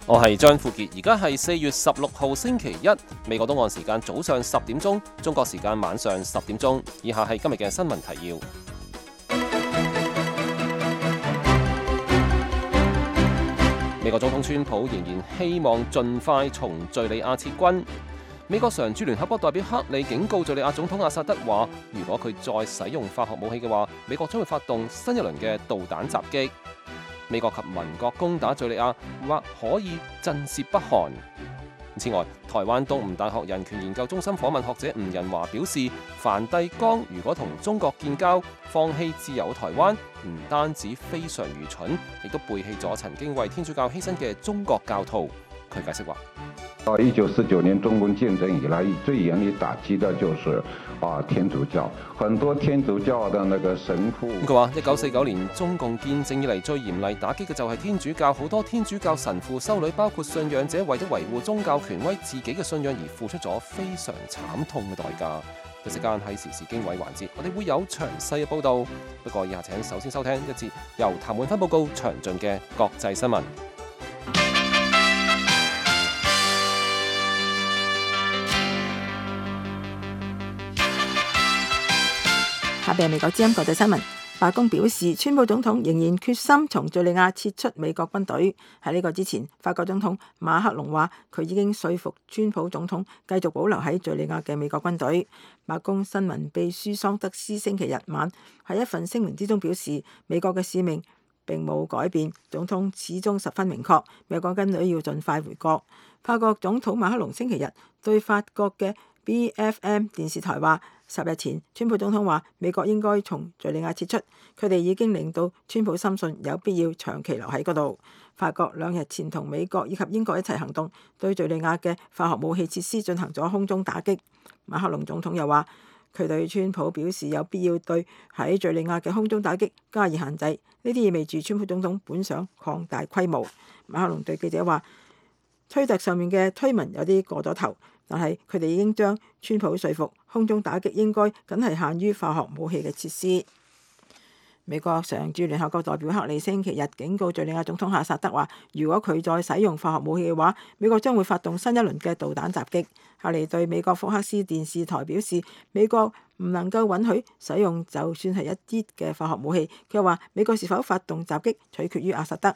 我係張富傑，而家係4月16號星期一，美國東岸時間早上10點鐘，中國時間晚上10點鐘。以下係今日嘅新聞提要。美國總統川普仍然希望盡快從敘利亞撤軍。美國常駐聯合國代表克里警告敘利亞總統阿薩德話，如果佢再使用化學武器嘅話，美國將會發動新一輪嘅導彈襲擊。美國及盟國攻打敘利亞，或可以震懾北韓。此外，台灣東吳大學人權研究中心訪問學者吳仁華表示，梵蒂岡如果同中國建交，放棄自由台灣，唔單止非常愚蠢，亦都背棄咗曾經為天主教犧牲嘅中國教徒。佢解釋話：到1949年中共建政以來，最嚴厲打擊的就是天主教，很多天主教的那個神父。佢話：1949年中共建政以嚟最嚴厲打擊嘅就係天主教，好多天主教神父修女，包括信仰者，為咗維護宗教權威、自己嘅信仰而付出咗非常慘痛嘅代價。一時間喺時事經緯環節，我哋會有詳細嘅報導。不過以下請首先收聽一節由譚滿芬報告詳盡嘅國際新聞。下邊係美國之音國際新聞。白宮表示，川普總統仍然決心從敘利亞撤出美國軍隊。喺呢個之前，法國總統馬克龍話佢已經說服川普總統繼續保留喺敘利亞嘅美國軍隊。白宮新聞秘書桑德斯星期日晚喺一份聲明之中表示，美國嘅使命並冇改變，總統始終十分明確，美國軍隊要盡快回國。法國總統馬克龍星期日對法國嘅BFM 電視台話，10日前，川普總統話美國應該從敘利亞撤出，佢哋已經令到川普深信有必要長期留喺嗰度。法國2日前同美國以及英國一齊行動，對敘利亞嘅化學武器設施進行咗空中打擊。馬克龍總統又話，佢對川普表示有必要對喺敘利亞嘅空中打擊加以限制，呢啲意味住川普總統本想擴大規模。馬克龍對記者話，推特上面嘅推文有啲過咗頭，但係佢哋已經將川普說服，空中打擊應該僅係限於化學武器嘅設施。美國常駐聯合國代表克里星期日警告敘利亞總統阿薩德話，如果佢再使用化學武器嘅話，美國將會發動新一輪嘅導彈襲擊。克里對美國福克斯電視台表示，美國唔能夠允許使用就算係一啲嘅化學武器。佢話美國是否發動襲擊取決於阿薩德。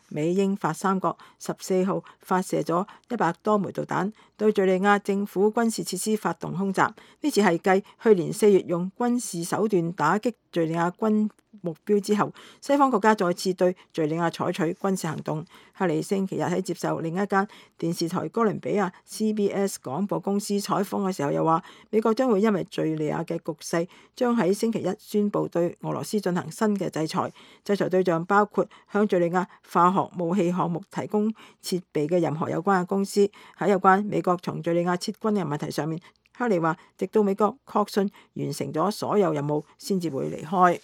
美英法三國14號發射咗100多枚導彈，對敘利亞政府軍事設施發動空襲。呢次係繼去年4月用軍事手段打擊敘利亞軍目標之後，西方國家再次對敘利亞採取軍事行動。克里星期日喺接受另一間電視台哥倫比亞 CBS 廣播公司採訪嘅時候，又話美國將會因為敘利亞嘅局勢，將喺星期一宣布對俄羅斯進行新嘅制裁。制裁對象包括向敘利亞化學武器項目提供設備嘅任何有關嘅公司。喺有關美國從敘利亞撤軍嘅問題上面，克里話直到美國確信完成咗所有任務先至會離開。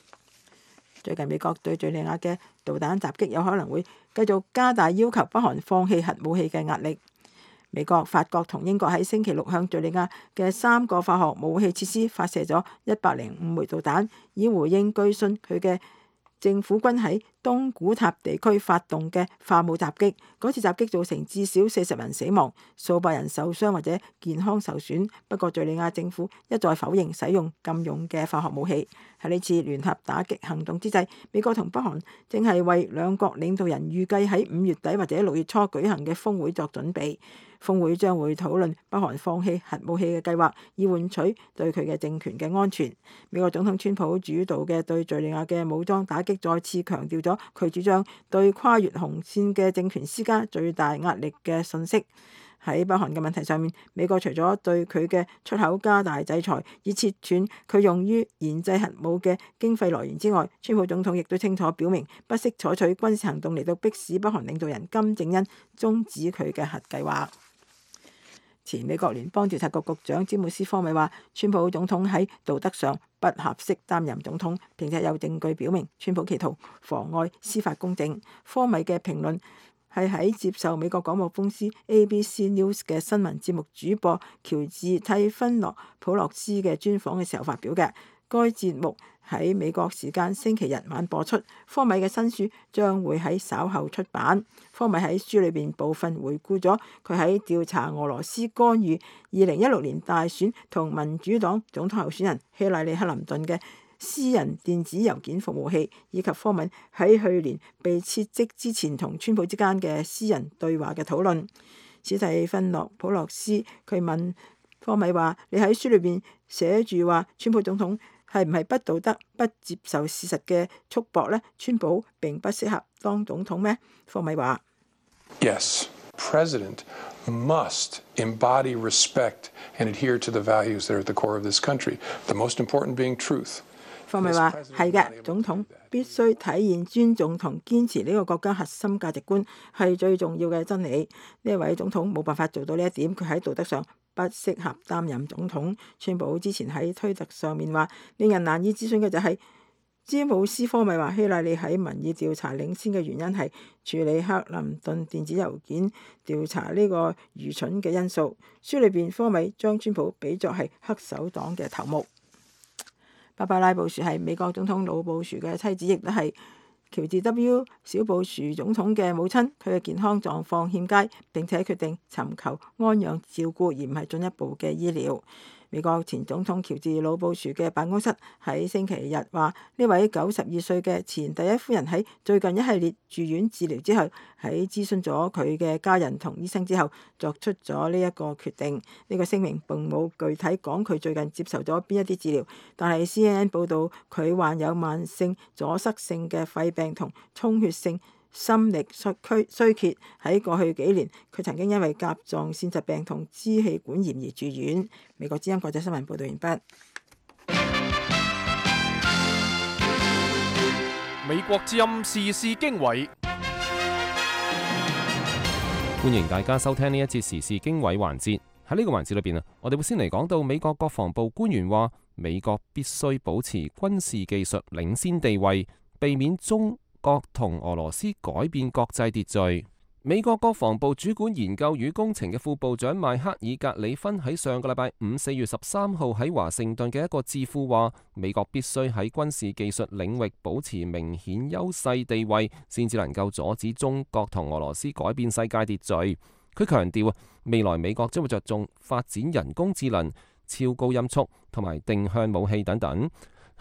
最近美國對敘利亞嘅導彈襲擊有可能會繼續加大要求北韓放棄核武器嘅壓力。美國、法國同英國喺星期六向敘利亞嘅3個化學武器設施發射咗105枚導彈，以回應據信佢嘅政府軍喺東古塔地區發動嘅化武襲擊。嗰次襲擊造成至少40人死亡，數百人受傷或者健康受損。不過敘利亞政府一再否認使用禁用嘅化學武器。喺呢次聯合打擊行動之際，美國同北韓正係為兩國領導人預計喺5月底或者6月初舉行嘅峰會作準備。峰會將會討論北韓放棄核武器嘅計劃，以換取對佢嘅政權嘅安全。美國總統川普主導嘅對敘利亞嘅武裝打擊再次強調咗佢主張對跨越紅線嘅政權施加最大壓力嘅信息。喺北韓嘅問題上面，美國除咗對佢嘅出口加大制裁，以切斷佢用於研製核武嘅經費來源之外，川普總統亦都清楚表明不惜採取軍事行動嚟到迫使北韓領導人金正恩終止佢嘅核計劃。前美國聯邦調查局局長詹姆斯科米話，川普總統喺道德上不合適擔任總統，並且有證據表明川普企圖妨礙司法公正。科米嘅評論係喺接受美國廣播公司 ABC News 嘅新聞節目主播喬治蒂芬諾普洛斯嘅專訪嘅時候發表嘅。該節目喺美國時間星期日晚播出。科米嘅新書將會喺稍後出版。科米喺書裏邊部分回顧咗佢喺調查俄羅斯干預2016年大選同民主黨總統候選人希拉里克林頓嘅私人電子郵件服務器，以及科米喺去年被撤職之前同川普之間嘅私人對話嘅討論。史蒂芬諾普洛斯佢問科米話：你喺書裏邊寫住話川普總統係唔係不道德、不接受事實嘅束縛呢？川普並不適合當總統咩？科米話 ：Yes, President must embody respect and adhere to the values that are at the core of this country. The most important being truth. 科米話係嘅，總統必須體現尊重同堅持呢個國家核心價值觀係最重要嘅真理。呢位總統冇辦法做到呢一點，佢喺道德上不適合擔任總統。川普之前喺推特上面話，令人難以置信嘅就係詹姆斯科米話希拉里喺民意調查領先嘅原因係處理克林頓電子郵件調查呢個愚蠢嘅因素。書裏邊科米將川普比作係黑手黨嘅頭目。芭芭拉布殊係美國總統老布殊嘅妻子，亦都係喬治 W 小布殊總統嘅母親。佢嘅健康狀況欠佳，並且決定尋求安養照顧，而唔係進一步嘅醫療。美國前總統喬治老布殊嘅辦公室喺星期日話，呢位92歲嘅前第一夫人喺最近一系列住院治療之後，喺諮詢咗佢嘅家人同醫生之後，作出咗呢一個決定。呢個聲明並冇具體講佢最近接受咗邊一啲治療，但係 CNN 報導佢患有慢性阻塞性嘅肺病同充血性心力衰竭。喺過去幾年，佢曾經因為甲狀腺疾病同支氣管炎而住院。美國之音國際新聞報道完畢。美國之音時事經緯，歡迎大家收聽呢一節時事經緯環節。喺呢個環節裏邊啊，我哋會先嚟講到美國國防部官員話，美國必須保持軍事技術領先地位，避免中國同俄羅斯改變國際秩序。美國國防部主管研究與工程嘅副部長邁克爾格里芬喺上個禮拜五4月13號喺華盛頓嘅一個智庫話，美國必須喺軍事技術領域保持明顯優勢地位，先至能夠阻止中國同俄羅斯改變世界秩序。佢強調啊，未來美國將會着重發展人工智能、超高音速同埋定向武器等等。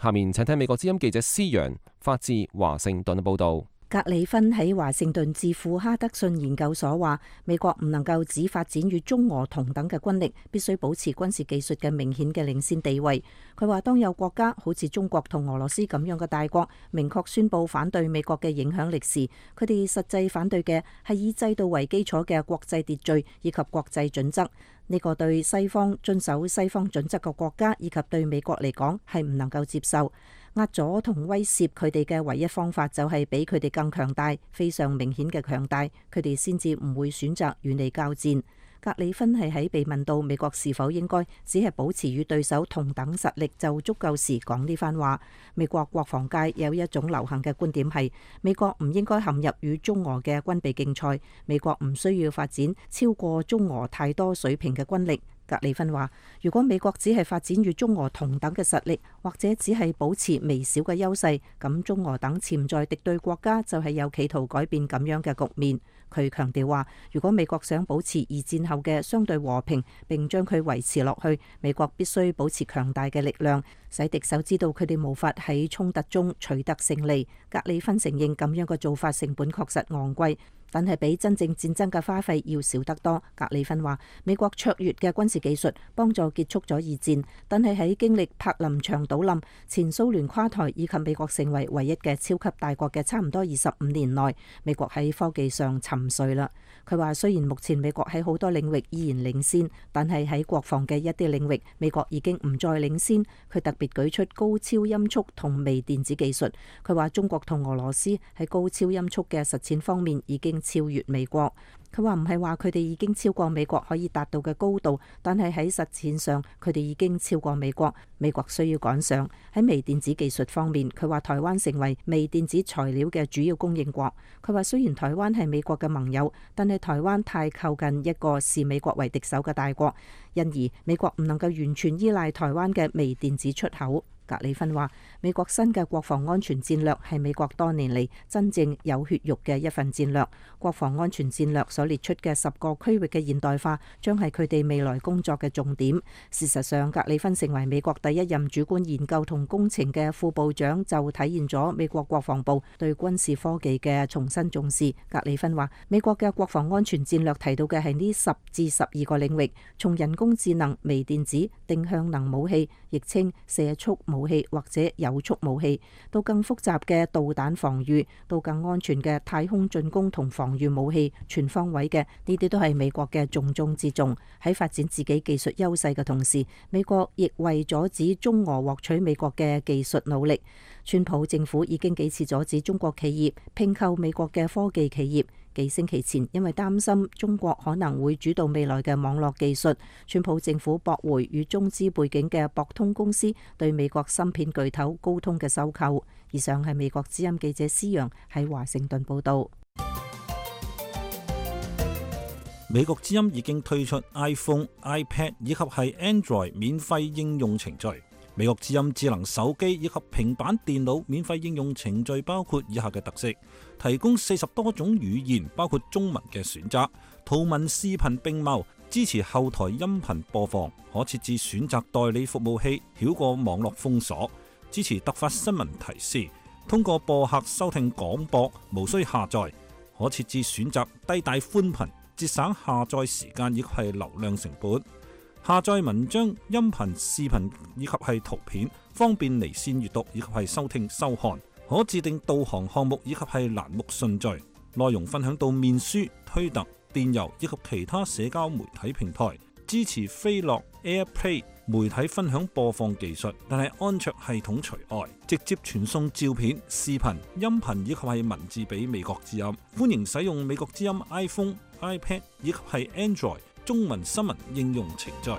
下面請聽美國之音記者施陽發自華盛頓嘅報導。格里芬喺華盛頓智庫哈德遜研究所話，美國唔能夠只發展與中俄同等嘅軍力，必須保持軍事技術嘅明顯嘅領先地位。佢話，當有國家好似中國同俄羅斯咁樣嘅大國明確宣布反對美國嘅影響力時，佢哋實際反對嘅係以制度為基礎嘅國際秩序以及國際準則。呢個對西方遵守西方準則嘅國家以及對美國嚟講係唔能夠接受。壓阻同威懾佢哋嘅唯一方法就係比佢哋更強大，非常明顯嘅強大，佢哋先至唔會選擇與你交戰。格里芬係喺被問到美國是否應該只係保持與對手同等實力就足夠時講呢番話。美國國防界有一種流行嘅觀點係，美國唔應該陷入與中俄嘅軍備競賽，美國唔需要發展超過中俄太多水平嘅軍力。格里芬話，如果美國只係發展與中俄同等嘅實力，或者只係保持微小嘅優勢，咁中俄等潛在敵對國家就係有企圖改變咁樣嘅局面。佢強調話，如果美國想保持二戰後嘅相對和平，並將佢維持落去，美國必須保持強大嘅力量，使敵手知道佢哋無法喺衝突中取得勝利。格里芬承認咁樣嘅做法成本確實昂貴，但係比真正戰爭嘅花費要少得多。格里芬話，美國卓越嘅軍事技術幫助結束咗二戰，但係喺經歷柏林牆倒冧、前蘇聯垮台以及美國成為唯一嘅超級大國嘅差唔多25年內，美國喺科技上沉睡啦。佢話，雖然目前美國喺好多領域依然領先，但係喺國防嘅一啲領域，美國已經唔再領先。佢特別舉出高超音速同微電子技術。佢話，中國同俄羅斯喺高超音速嘅實踐方面已經超越美國。佢話唔係話佢哋已經超過美國可以達到嘅高度，但係喺實踐上佢哋已經超過美國。美國需要趕上。喺微電子技術方面，佢話台灣成為微電子材料嘅主要供應國。佢話雖然台灣係美國嘅盟友，但係台灣太靠近一個視美國為敵手嘅大國，因而美國唔能夠完全依賴台灣嘅微電子出口。格里芬話：美國新嘅國防安全戰略係美國多年嚟真正有血肉嘅一份戰略。國防安全戰略所列出嘅10個區域嘅現代化，將係佢哋未來工作嘅重點。事實上，格里芬成為美國第一任主管研究同工程嘅副部長，就體現咗美國國防部對軍事科技嘅重新重視。格里芬話：美國嘅國防安全戰略提到嘅係呢10至12個領域，從人工智能、微電子、定向能武器，亦稱射速武器或者有速武器，到更複雜嘅導彈防禦，到更安全嘅太空進攻同防禦武器，全方位嘅呢啲都係美國嘅重中之重。喺發展自己技術優勢嘅同時，美國亦為阻止中俄獲取美國嘅技術努力。川普政府已經幾次阻止中國企業併購美國嘅科技企業。幾星期前，因為擔心中國可能會主導未來嘅網絡技術，川普政府駁回與中資背景嘅博通公司對美國芯片巨頭高通嘅收購。以上係美國之音記者施陽喺華盛頓報道。美國之音已經推出 iPhone、iPad 以及係 Android 免費應用程序。美國之音智能手機以及平板電腦免費應用程序包括以下嘅特色：提供40多種語言，包括中文嘅選擇，圖文視頻並茂，支持後台音頻播放，可設置選擇代理服務器，繞過網絡封鎖，支持突發新聞提示，通過播客收聽廣播，無需下載，可設置選擇低帶寬頻，節省下載時間以及係流量成本。下載文章、音頻、視頻以及係圖片，方便離線閱讀以及係收聽收看。可自定導航項目以及係欄目順序。內容分享到面書、推特、電郵以及其他社交媒體平台。支持飛樂 AirPlay 媒體分享播放技術，但係安卓系統除外。直接傳送照片、視頻、音頻以及係文字俾美國之音。歡迎使用美國之音 iPhone、iPad 以及係 Android中文新聞應用程序。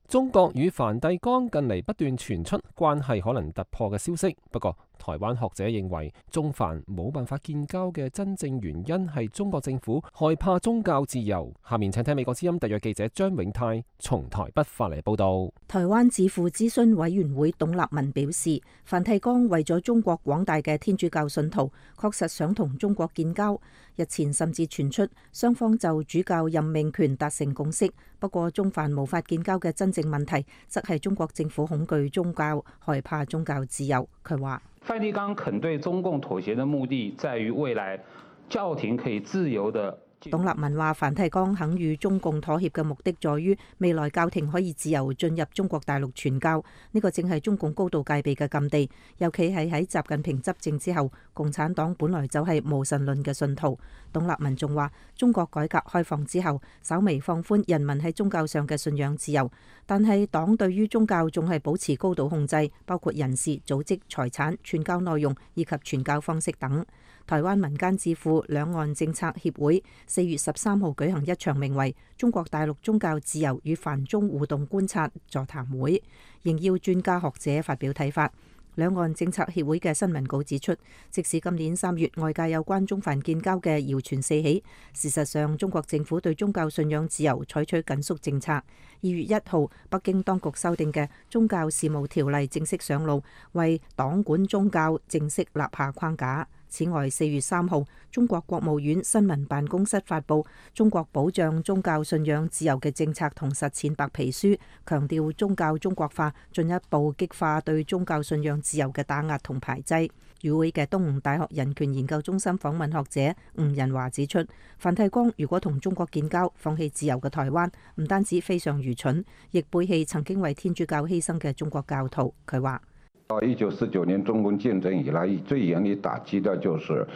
中國與梵蒂岡近嚟不斷傳出關係可能突破嘅消息，不過台灣學者認為中梵冇辦法建交嘅真正原因係中國政府害怕宗教自由。下面請聽美國之音特約記者張永泰從台北發嚟報道。台灣智庫諮詢委員會董立文表示，梵蒂岡為咗中國廣大嘅天主教信徒，確實想同中國建交。日前甚至傳出雙方就主教任命權達成共識。不過中梵無法建交嘅真正問題，則係中國政府恐懼宗教，害怕宗教自由。佢話：梵蒂岡肯對中共妥協的目的，在於未來教廷可以自由的。董立文話：梵蒂岡肯與中共妥協嘅目的，在於未來教廷可以自由進入中國大陸傳教，呢個正係中共高度戒備嘅禁地。尤其係喺習近平執政之後，共產黨本來就係無神論嘅信徒。董立文仲話：中國改革開放之後，稍微放寬人民喺宗教上嘅信仰自由，但係黨對於宗教仲係保持高度控制，包括人事、組織、財產、傳教內容以及傳教方式等。台灣民間智庫兩岸政策協會4月13號舉行一場名為《中國大陸宗教自由與梵中互動觀察》座談會，應邀專家學者發表睇法。兩岸政策協會嘅新聞稿指出，即使今年3月外界有關中梵建交嘅謠傳四起，事實上中國政府對宗教信仰自由採取緊縮政策。2月1號，北京當局修訂嘅宗教事務條例正式上路，為黨管宗教正式立下框架。此外，4月3號，中國國務院新聞辦公室發布《中國保障宗教信仰自由嘅政策同實踐白皮書》，強調宗教中國化進一步激化對宗教信仰自由嘅打壓同排擠。與會嘅東吳大學人權研究中心訪問學者吳仁華指出，梵蒂岡如果同中國建交，放棄自由嘅台灣，唔單止非常愚蠢，亦背棄曾經為天主教犧牲嘅中國教徒。佢話：1949年中共建政以來，最嚴厲打擊的就是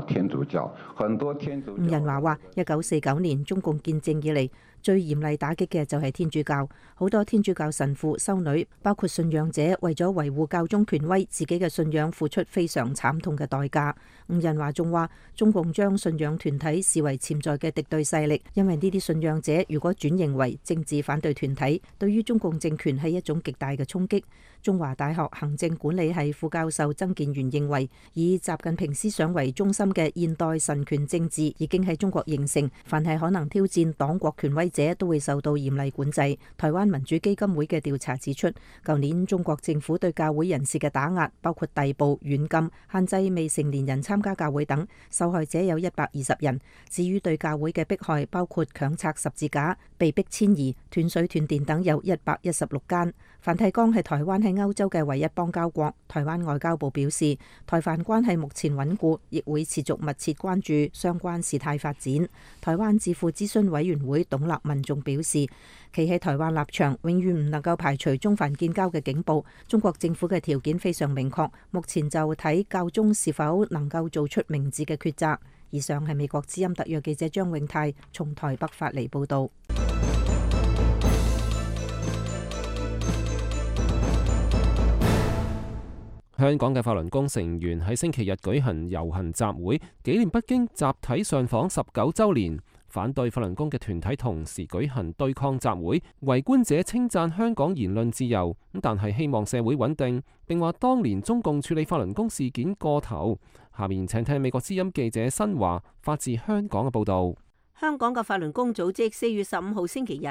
天主教，很多天主教。吳仁華話：1949年中共建政以嚟，最嚴厲打擊嘅就係天主教，好多天主教神父、修女，包括信仰者，為咗維護教宗權威，自己嘅信仰付出非常慘痛嘅代價。吳仁華仲話：中共將信仰團體視為潛在嘅敵對勢力，因為呢啲信仰者如果轉型為政治反對團體，對於中共政權係一種極大嘅衝擊。中華大學行政管理系副教授曾建元認為，以習近平思想為中心嘅現代神權政治已經喺中國形成，凡係可能挑戰黨國權威揮者都會受到嚴厲管制。台灣民主基金會嘅調查指出，舊年中國政府對教會人士嘅打壓，包括逮捕、軟禁、限制未成年人參加教會等，受害者有120人。至於對教會嘅迫害，包括強拆十字架、被迫遷移、斷水斷電等，有116間。梵蒂岡係台灣喺歐洲嘅唯一邦交國。台灣外交部表示，台梵關係目前穩固，亦會持續密切關注相關事態發展。台灣智庫諮詢委員會董立民仲表示，企喺台灣立場，永遠唔能夠排除中梵建交嘅警報。中國政府嘅條件非常明確，目前就睇教宗是否能夠做出明智嘅抉擇。以上係美國之音特約記者張永泰從台北發嚟報道。香港嘅法輪功成員喺星期日舉行遊行集會，紀念北京集體上訪19週年。反對法輪功嘅團體同時舉行對抗集會，圍觀者稱讚香港言論自由，但係希望社會穩定，並話當年中共處理法輪功事件過頭。下面請聽美國之音記者新華發自香港嘅報導。香港嘅法輪功組織4月15號星期日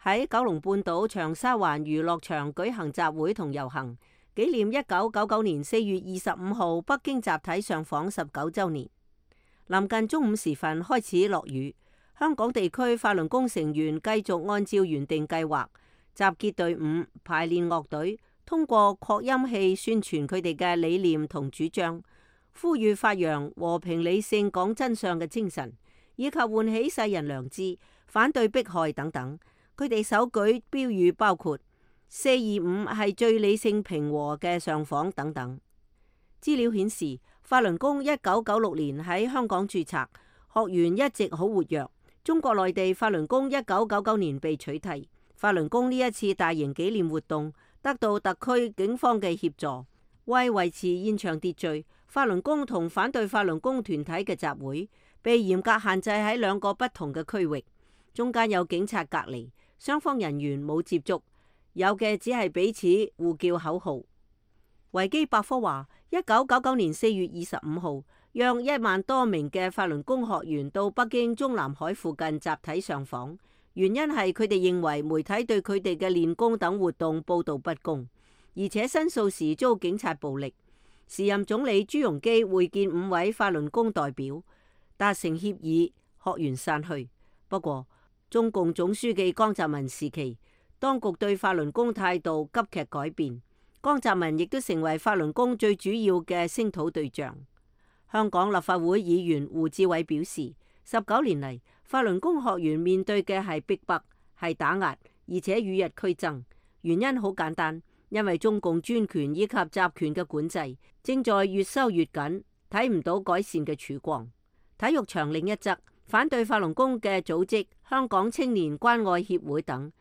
喺九龍半島長沙灣娛樂場舉行集會同遊行，紀念1999年4月25號北京集體上訪19週年。臨近中午時分開始落雨，香港地區法輪功成員繼續按照原定計劃集結隊伍、排練樂隊，通過擴音器宣傳佢哋嘅理念同主張，呼籲發揚和平理性講真相嘅精神，以及喚起世人良知，反對迫害等等。佢哋手舉標語包括425係最理性平和嘅上訪等等。資料顯示，法輪功1996年喺香港註冊，學員一直好活躍。中國內地法輪功1999年被取締。法輪功呢一次大型紀念活動得到特區警方嘅協助，為維持現場秩序，法輪功同反對法輪功團體嘅集會被嚴格限制喺2個不同嘅區域，中間有警察隔離，雙方人員冇接觸，有嘅只係彼此互叫口號。維基百科話，1999年4月25號，約1萬多名嘅法輪功學員到北京中南海附近集體上訪，原因係佢哋認為媒體對佢哋嘅練功等活動報道不公，而且申訴時遭警察暴力。時任總理朱鎔基會見5位法輪功代表，達成協議，學員散去。不過，中共總書記江澤民時期，當局對法輪功態度急劇改變，江澤民亦都成為法輪功最主要嘅聲討對象。香港立法會議員胡志偉表示，19年嚟，法輪功學員面對嘅係逼迫、係打壓，而且與日俱增。原因好簡單，因為中共專權以及集權嘅管制正在越收越緊，睇唔到改善嘅曙光。體育場另一側，反對法輪功嘅組織香港青年關愛協會等，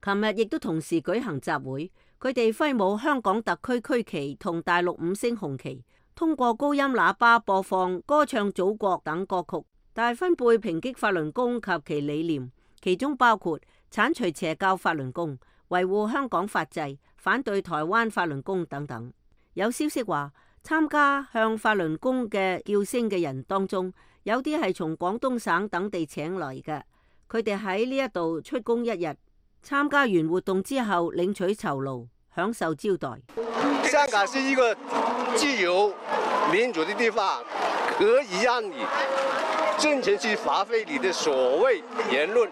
琴日亦都同時舉行集會。佢哋揮舞香港特區區旗同大陸5星紅旗，通過高音喇叭播放歌唱祖國等歌曲，大分貝抨擊法輪功及其理念，其中包括剷除邪教法輪功、維護香港法制、反對台灣法輪功等等。有消息話，參加向法輪功嘅叫聲嘅人當中，有啲係從廣東省等地請嚟嘅，佢哋喺呢一度出工1日，參加完活動之後領取酬勞，享受招待。香港是一個自由民主的地方，可以讓你盡情去發揮你的所謂言論。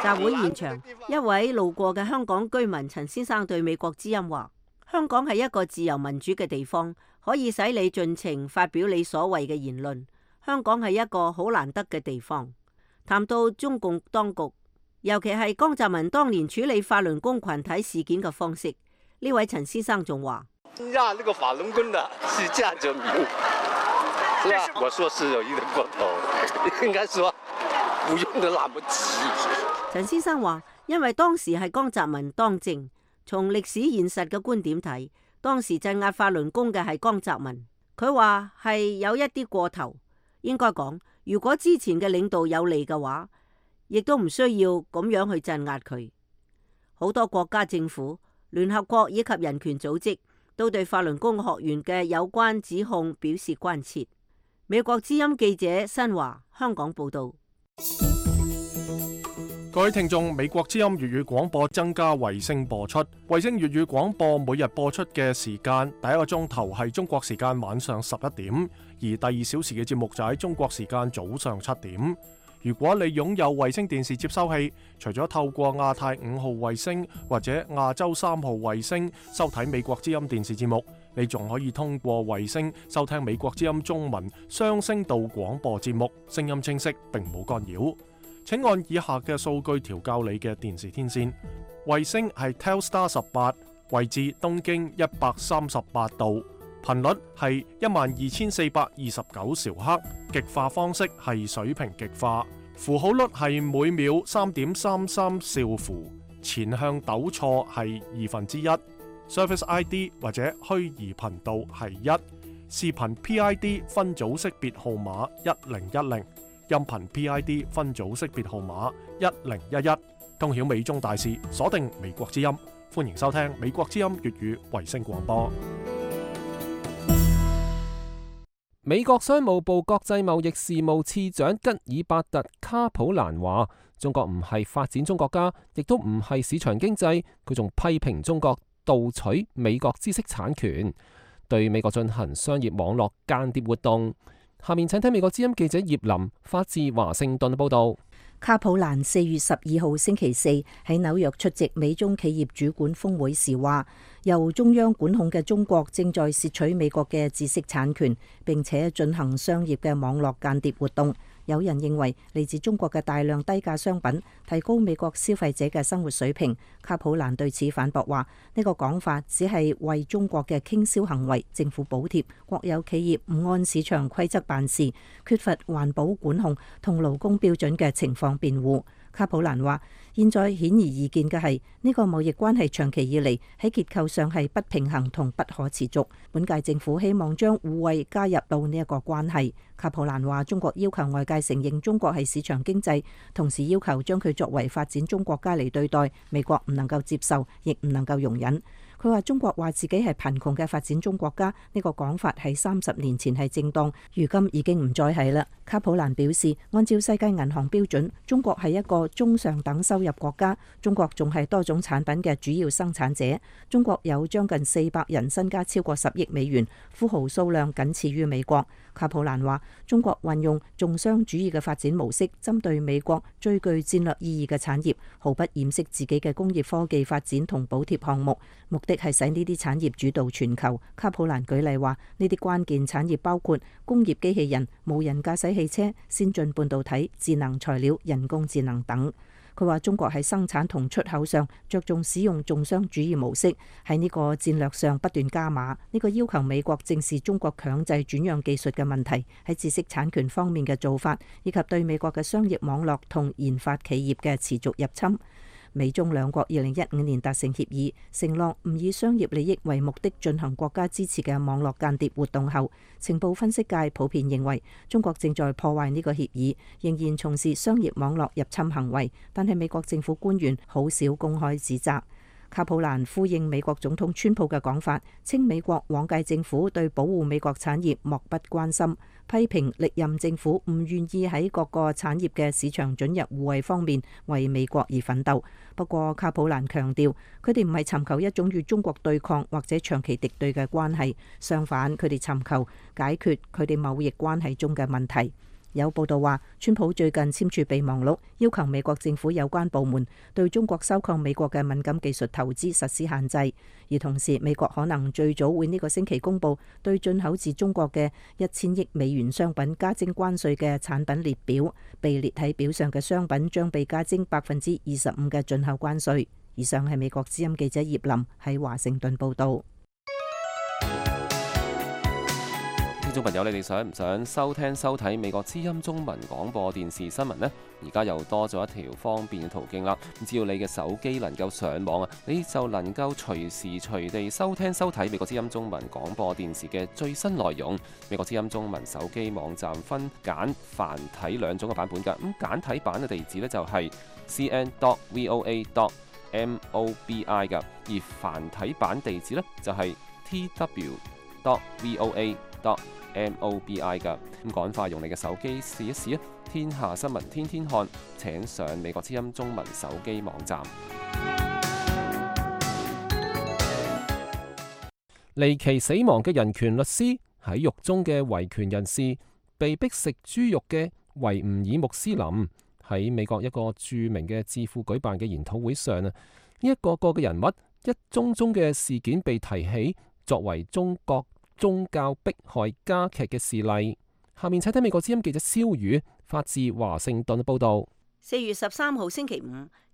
集會現場，一位路過嘅香港居民陳先生對美國之音話：香港係一個自由民主嘅地方，可以使你盡情發表你所謂嘅言論。香港係一個好難得嘅地方。談到中共當局，尤其係江澤民當年處理法輪功群體事件嘅方式，呢位陳先生仲話：讓那個法輪功的是價者名，是吧？我說是有一點過頭，應該說不用得那麼急。陳先生話：因為當時係江澤民當政，從歷史現實嘅觀點睇，當時鎮壓法輪功嘅係江澤民。佢話係有一啲過頭，應該講，如果之前嘅領導有利嘅話，亦都唔需要咁樣去鎮壓佢。好多國家政府、聯合國以及人權組織都對法輪功學員嘅有關指控表示關切。美國之音記者新華香港報道。各位聽眾，美國之音粵語廣播增加衛星播出。衛星粵語廣播每日播出嘅時間，第一個鐘頭係中國時間晚上11點，而第2小時嘅節目就喺中國時間早上7點。如果你擁有衛星電視接收器，除咗透過亞太5號衛星或者亞洲3號衛星收睇美國之音電視節目，你仲可以通過衛星收聽美國之音中文雙聲道廣播節目，聲音清晰並冇干擾。請按以下嘅數據調校你嘅電視天線。衛星係 Telstar 18，位置東經138度，頻率係12429兆赫，極化方式係水平極化，符號率係每秒3.33兆符，前向糾錯係1/2，Service ID 或者虛擬頻道係1，視頻 PID 分組識別號碼1010。音頻 PID 分組識別號碼1011，通曉美中大事，鎖定美國之音，歡迎收聽美國之音粵語衛星廣播。美國商務部國際貿易事務次長吉爾伯特·卡普蘭話：中國唔係發展中國家，亦都唔係市場經濟。佢仲批評中國盜取美國知識產權，對美國進行商業網絡間諜活動。下面請睇美國之音記者葉林發自華盛頓報道。卡普蘭4月12號星期四喺紐約出席美中企業主管峰會時話，由中央管控嘅中國正在竊取美國嘅知識產權，並且進行商業嘅網絡間諜活動。有人認為嚟自中國嘅大量低價商品提高美國消費者嘅生活水平。卡普蘭對此反駁話，呢個講法只係為中國嘅傾銷行為、政府補貼、國有企業唔按市場規則辦事、缺乏環保管控同勞工標準嘅情況辯護。卡普蘭話，現在顯而易見嘅係呢個貿易關係長期以嚟喺結構上係不平衡同不可持續。本屆政府希望將互惠加入到呢一個關係。卡普蘭話，中國要求外界承認中國係市場經濟，同時要求將佢作為發展中國家嚟對待，美國唔能夠接受，亦唔能夠容忍。佢話中國話自己係貧窮嘅發展中國家，呢個講法喺30年前係正當，如今已經唔再係啦。卡普蘭表示，按照世界銀行標準，中國係一個中上等收入國家，中國仲係多種產品嘅主要生產者。中國有將近400人，身家超過10億美元，富豪數量僅次於美國。卡普蘭話，中國運用重商主義嘅發展模式，針對美國最具戰略意義嘅產業，毫不掩飾自己嘅工業科技發展同補貼項目，目的係使呢啲產業主導全球。卡普蘭舉例話，呢啲關鍵產業包括工業機器人、無人駕駛汽車、先進半導體、智能材料、人工智能等。佢話中國喺生產同出口上着重使用重商主義模式，喺呢個戰略上不斷加碼。呢個要求美國正視中國強制轉讓技術嘅問題，喺知識產權方面嘅做法，以及對美國嘅商業網絡同研發企業嘅持續入侵。美中兩國2015年達成協議，承諾唔以商業利益為目的進行國家支持嘅網絡間諜活動後，情報分析界普遍認為中國正在破壞呢個協議，仍然從事商業網絡入侵行為，但係美國政府官員好少公開指責。卡普蘭呼應美國總統川普嘅講法，稱美國往屆政府對保護美國產業漠不關心，批評歷任政府唔願意喺各個產業嘅市場准入互惠方面為美國而奮鬥。不過卡普蘭強調，佢哋唔係尋求一種與中國對抗或者長期敵對嘅關係，相反，佢哋尋求解決佢哋貿易關係中嘅問題。有報道話，川普最近簽署備忘錄，要求美國政府有關部門對中國收購美國嘅敏感技術投資實施限制，而同時美國可能最早會呢個星期公佈對進口自中國嘅1000億美元商品加徵關稅嘅產品列表，被列喺表上嘅商品將被加徵25%嘅進口關稅。以上係美國之音記者葉林喺華盛頓報導。聽眾朋友，你哋想唔想收聽收睇美國之音中文廣播電視新聞呢？而家又多咗一條方便嘅途徑啦！只要你嘅手機能夠上網啊，你就能夠隨時隨地收聽收睇美國之音中文廣播電視嘅最新內容。美國之音中文手機網站分簡繁體兩種嘅版本㗎。咁簡體版嘅地址呢，就係 cn.voa.mobi 㗎，而繁體版地址呢，就係tw.voa.mobi MOBI 㗎。咁趕快用你嘅手機試一試啊！天下新聞天天看，請上美國之音中文手機網站。離奇死亡嘅人權律師，喺獄中嘅維權人士，被逼食豬肉嘅維吾爾穆斯林，喺美國一個著名嘅智庫舉辦嘅研討會上啊，呢一個個嘅人物一宗宗嘅事件被提起，作為中國宗教迫害加劇嘅事例。下面請睇美國之音記者蕭宇發自華盛頓報道。4月13號星期五，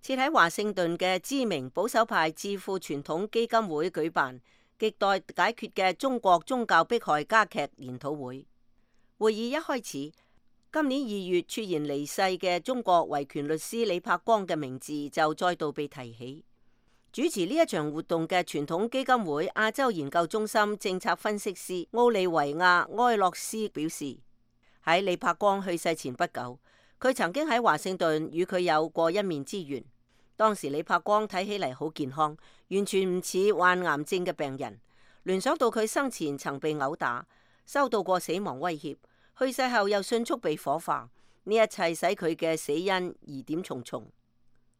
設喺華盛頓嘅知名保守派智庫傳統基金會舉辦亟待解決嘅中國宗教迫害加劇研討會。會議一開始，今年2月猝然離世嘅中國維權律師李柏光嘅名字就再度被提起。主持呢一場活動嘅傳統基金會亞洲研究中心政策分析師奧利維亞埃洛斯表示，喺李柏光去世前不久，佢曾經喺華盛頓與佢有過一面之緣。當時李柏光睇起嚟好健康，完全唔似患癌症嘅病人。聯想到佢生前曾被毆打，收到過死亡威脅，去世後又迅速被火化，呢一切使佢嘅死因疑點重重。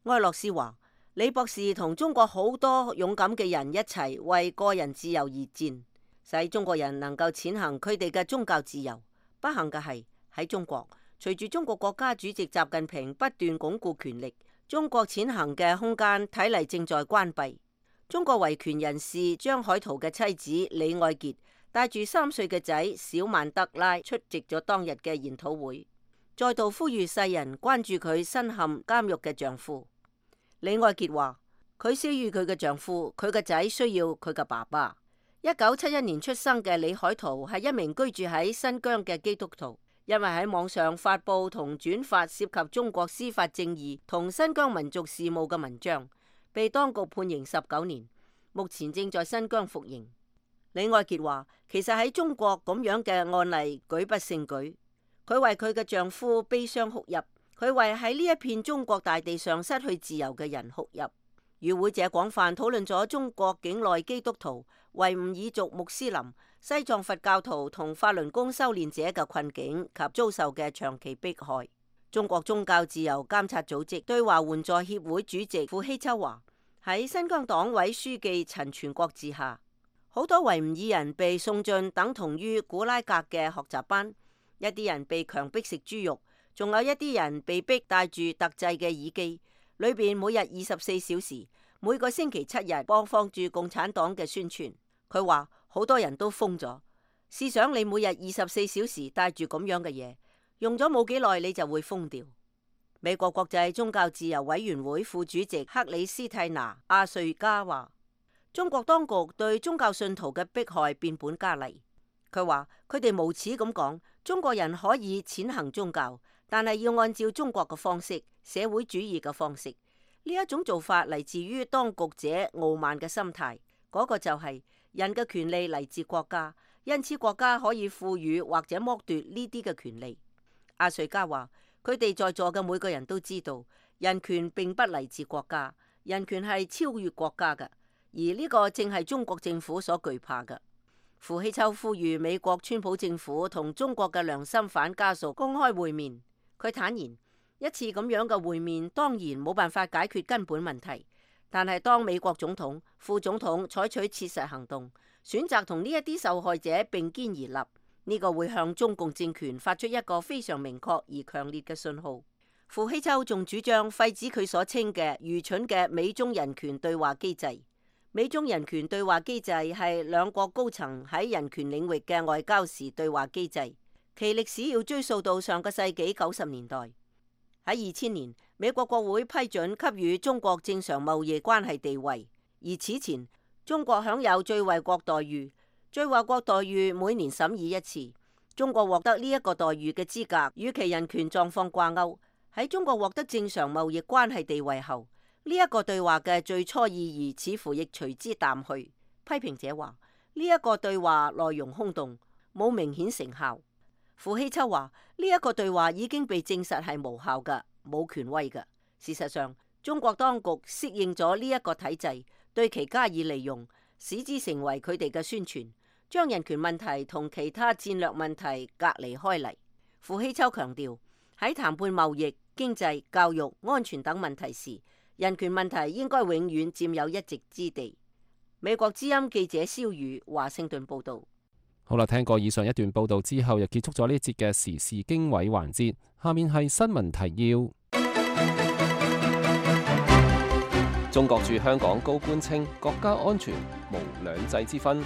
埃洛斯話：李博士同中國好多勇敢嘅人一齊為個人自由而戰，使中國人能夠踐行佢哋嘅宗教自由。不幸嘅係喺中國，隨住中國國家主席習近平不斷鞏固權力，中國踐行嘅空間睇嚟正在關閉。中國維權人士張海濤嘅妻子李愛潔帶住3歲嘅仔小曼德拉出席咗當日嘅研討會，再度呼籲世人關注佢身陷監獄嘅丈夫。李愛潔話：佢需要佢嘅丈夫，佢嘅仔需要佢嘅爸爸。1971年出生嘅李海濤係一名居住喺新疆嘅基督徒。因為喺網上發布同轉發涉及中國司法正義同新疆民族事務嘅文章，被當局判刑19年，目前正在新疆服刑。李愛潔話：其實喺中國咁樣嘅案例舉不勝舉，佢為佢嘅丈夫悲傷哭泣，佢為喺呢一片中國大地上失去自由嘅人哭泣。與會者廣泛討論咗中國境內基督徒、維吾爾族穆斯林、西藏佛教徒同法輪功修煉者嘅困境及遭受嘅長期迫害。中國宗教自由監察組織對華援助協會主席傅希秋話：喺新疆黨委書記陳全國治下，好多維吾爾人被送進等同於古拉格嘅學習班，一啲人被強迫食豬肉，仲有一啲人被逼戴住特製嘅耳機，裏邊每日24小時，每個星期7日播放住共產黨嘅宣傳。佢話好多人都瘋咗，試想你每日24小時戴住咁樣嘅嘢，用咗冇幾耐你就會瘋掉。美國國際宗教自由委員會副主席克里斯蒂娜·阿瑞加話：中國當局對宗教信徒嘅迫害變本加厲。佢話佢哋無恥咁講，中國人可以踐行宗教，但係要按照中國嘅方式，社會主義嘅方式。呢一種做法嚟自於當局者傲慢嘅心態，嗰個就係人嘅權利嚟自國家，因此國家可以賦予或者剝奪呢啲嘅權利。阿瑞加話：佢哋在座嘅每個人都知道，人權並不嚟自國家，人權係超越國家嘅，而呢個正係中國政府所懼怕嘅。傅希秋呼籲美國川普政府同中國嘅良心犯家屬公開會面。佢坦言，一次咁樣嘅會面當然冇辦法解決根本問題，但係當美國總統、副總統採取切實行動，選擇同呢一啲受害者並肩而立，呢個會向中共政權發出一個非常明確而強烈嘅信號。傅希秋仲主張廢止佢所稱嘅愚蠢嘅美中人權對話機制。美中人權對話機制係兩國高層喺人權領域嘅外交時對話機制，其歷史要追溯到上個世紀90年代。喺2000年，美國國會批准給予中國正常貿易關係地位，而此前中國享有最惠國待遇。最惠國待遇每年審議一次，中國獲得呢一個待遇嘅資格與其人權狀況掛鈎。喺中國獲得正常貿易關係地位後，呢一個對話嘅最初意義似乎亦隨之淡去。批評者話呢一個對話內容空洞，冇明顯成效。傅希秋話呢一個對話已經被證實係無效嘅，冇權威嘅。事實上，中國當局適應咗呢一個體制，對其加以利用，使之成為佢哋嘅宣傳。將人權問題同其他戰略問題隔離開嚟。傅希秋強調，喺談判貿易、經濟、教育、安全等問題時，人權問題應該永遠佔有一席之地。美國之音記者蕭宇華盛頓報導。好啦，聽過以上一段報導之後，又結束咗呢節嘅時事經緯環節。下面係新聞提要。中國駐香港高官稱，國家安全無兩制之分。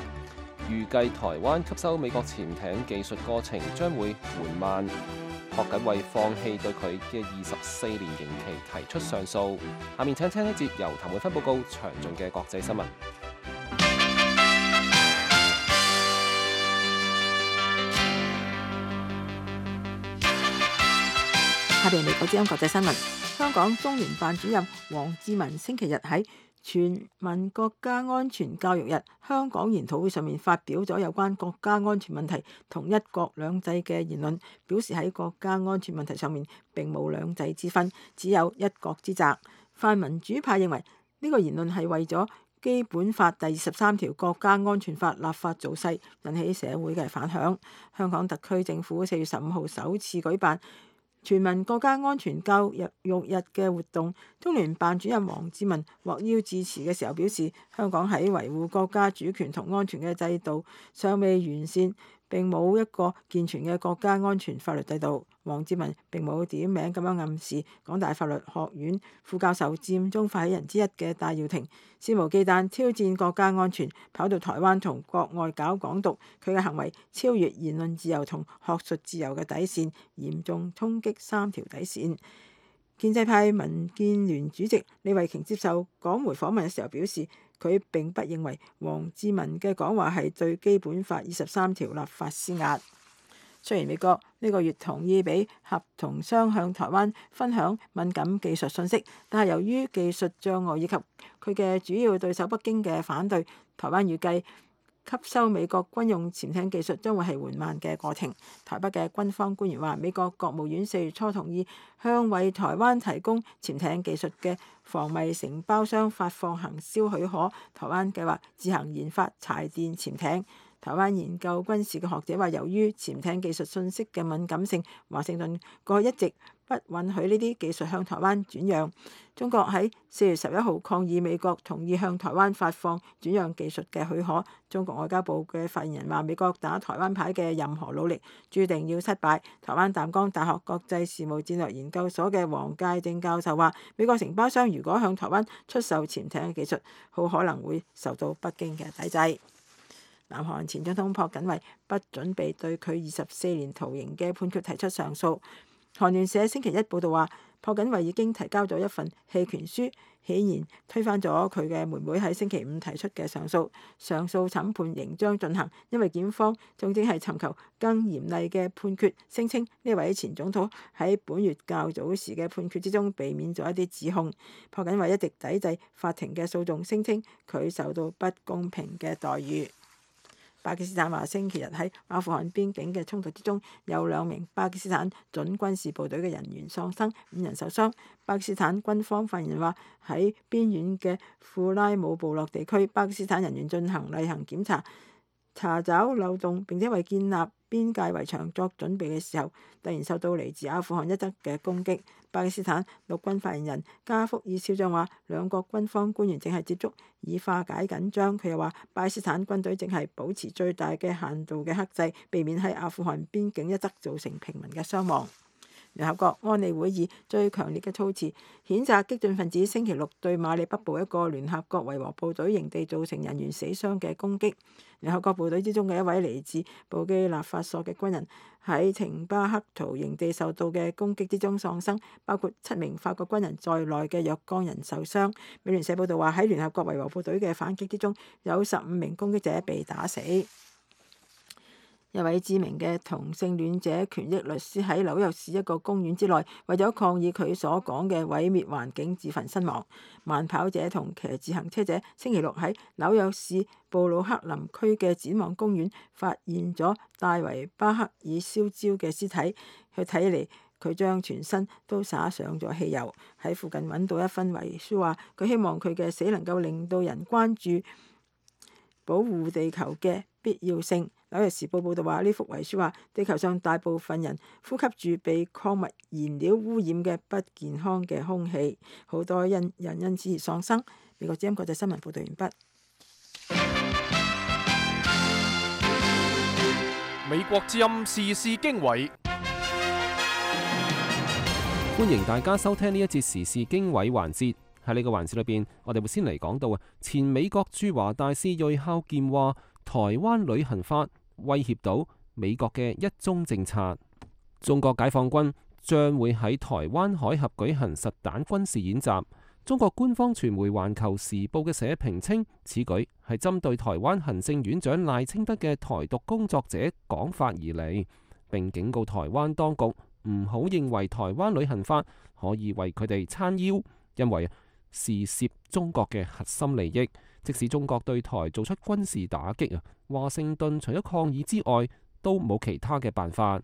預計台灣吸收美國潛艇技術過程將會緩慢。朴槿惠放棄對佢嘅24年刑期提出上訴。下面請聽一節由譚永芬報告詳盡嘅國際新聞。下邊美國之音國際新聞，香港中聯辦主任王志民星期日喺全民國家安全教育日香港研討會上面發表咗有關國家安全問題同一國兩制嘅言論，表示喺國家安全問題上面並冇兩制之分，只有一國之責。泛民主派認為呢個言論係為咗基本法第23條國家安全法立法造勢，引起社會嘅反響。香港特區政府4月15號首次舉辦全民國家安全教育日嘅活動，中聯辦主任王志民獲邀致辭嘅時候表示，香港喺維護國家主權同安全嘅制度尚未完善，並冇一個健全嘅國家安全法律制度。王志民並冇點名咁樣暗示港大法律學院副教授佔中發起人之一嘅戴耀廷肆無忌憚挑戰國家安全，跑到台灣同國外搞港獨，佢嘅行為超越言論自由同學術自由嘅底線，嚴重衝擊3條底線。建制派民建聯主席李慧瓊接受港媒訪問嘅時候表示，佢並不認為王志民嘅講話係對基本法23條立法施壓。雖然美國呢個月同意俾合同商向台灣分享敏感技術信息，但係由於技術障礙以及佢嘅主要對手北京嘅反對，台灣預計吸收美國軍用潛艇技術將會係緩慢嘅過程。台北嘅軍方官員話，美國國務院4月初同意向為台灣提供潛艇技術嘅防迷承包商發放行銷許可，台灣計劃自行研發柴電潛艇。台灣研究軍事嘅學者話，由於潛艇技術信息嘅敏感性，華盛頓過去一直不允許呢啲技術向台灣轉讓。中國喺4月11號抗議美國同意向台灣發放轉讓技術嘅許可。中國外交部嘅發言人話，美國打台灣牌嘅任何努力注定要失敗。台灣淡江大學國際事務戰略研究所嘅黃介正教授話，美國承包商如果向台灣出售潛艇嘅技術，好可能會受到北京嘅抵制。南韓前總統朴槿惠不準備對佢24年徒刑嘅判決提出上訴。韓聯社星期一報道話，朴槿惠已經提交咗一份棄權書，顯然推翻咗佢嘅妹妹喺星期五提出嘅上訴。上訴審判仍將進行，因為檢方仲正係尋求更嚴厲嘅判決，聲稱呢位前總統喺本月較早時嘅判決之中避免咗一啲指控。朴槿惠一直抵制法庭嘅訴訟，聲稱佢受到不公平嘅待遇。巴基斯坦話，星期日喺阿富汗邊境嘅衝突之中，有2名巴基斯坦準軍事部隊嘅人員喪生，5人受傷。巴基斯坦軍方發言人話，喺邊遠嘅庫拉姆部落地區，巴基斯坦人員進行例行檢查，查找漏洞，並且為建立邊界圍牆作準備嘅時候，突然受到嚟自阿富汗一側嘅攻擊。巴基斯坦陸軍發言人加福爾少將話，兩國軍方官員正係接觸以化解緊張。佢又話，巴基斯坦軍隊正係保持最大嘅限度嘅克制，避免喺阿富汗邊境一側造成平民嘅傷亡。聯合國安理會以最強烈嘅措辭譴責激進分子星期六對馬里北部一個聯合國維和部隊營地造成人員死傷嘅攻擊。聯合國部隊之中嘅一位嚟自布基納法索嘅軍人喺廷巴克圖營地受到嘅攻擊之中喪生，包括7名法國軍人在內嘅若干人受傷。美聯社報道話，喺聯合國維和部隊嘅反擊之中，有15名攻擊者被打死。一位知名嘅同性戀者權益律師喺紐約市一個公園之內，為咗抗議佢所講嘅毀滅環境，自焚身亡。慢跑者同騎自行車者星期六喺紐約市布魯克林區嘅展望公園發現咗戴維巴克爾燒焦嘅屍體，佢睇嚟佢將全身都灑上咗汽油。喺附近揾到一份遺書，話佢希望佢嘅死能夠令到人關注保護地球嘅必要性。紐約時報報道話，呢幅遺書話地球上大部分人呼吸住被礦物燃料污染嘅不健康嘅空氣，好多人因此而喪生。美國之音國際新聞報道完畢。美國之音時事經緯，歡迎大家收聽呢一節時事經緯環節。喺呢個環節裏邊，我哋會先嚟講到前美國駐華大使芮孝儉話，台灣旅行法威脅到美國嘅一中政策。中國解放軍將會喺台灣海峽舉行實彈軍事演習。中國官方傳媒《環球時報》嘅社評稱，此舉係針對台灣行政院長賴清德嘅台獨工作者講法而嚟，並警告台灣當局唔好認為台灣旅行法可以為佢哋撐腰，因為是涉中國嘅核心利益。即使中國對台做出軍事打擊，華盛頓除咗抗議之外，都冇其他嘅辦法。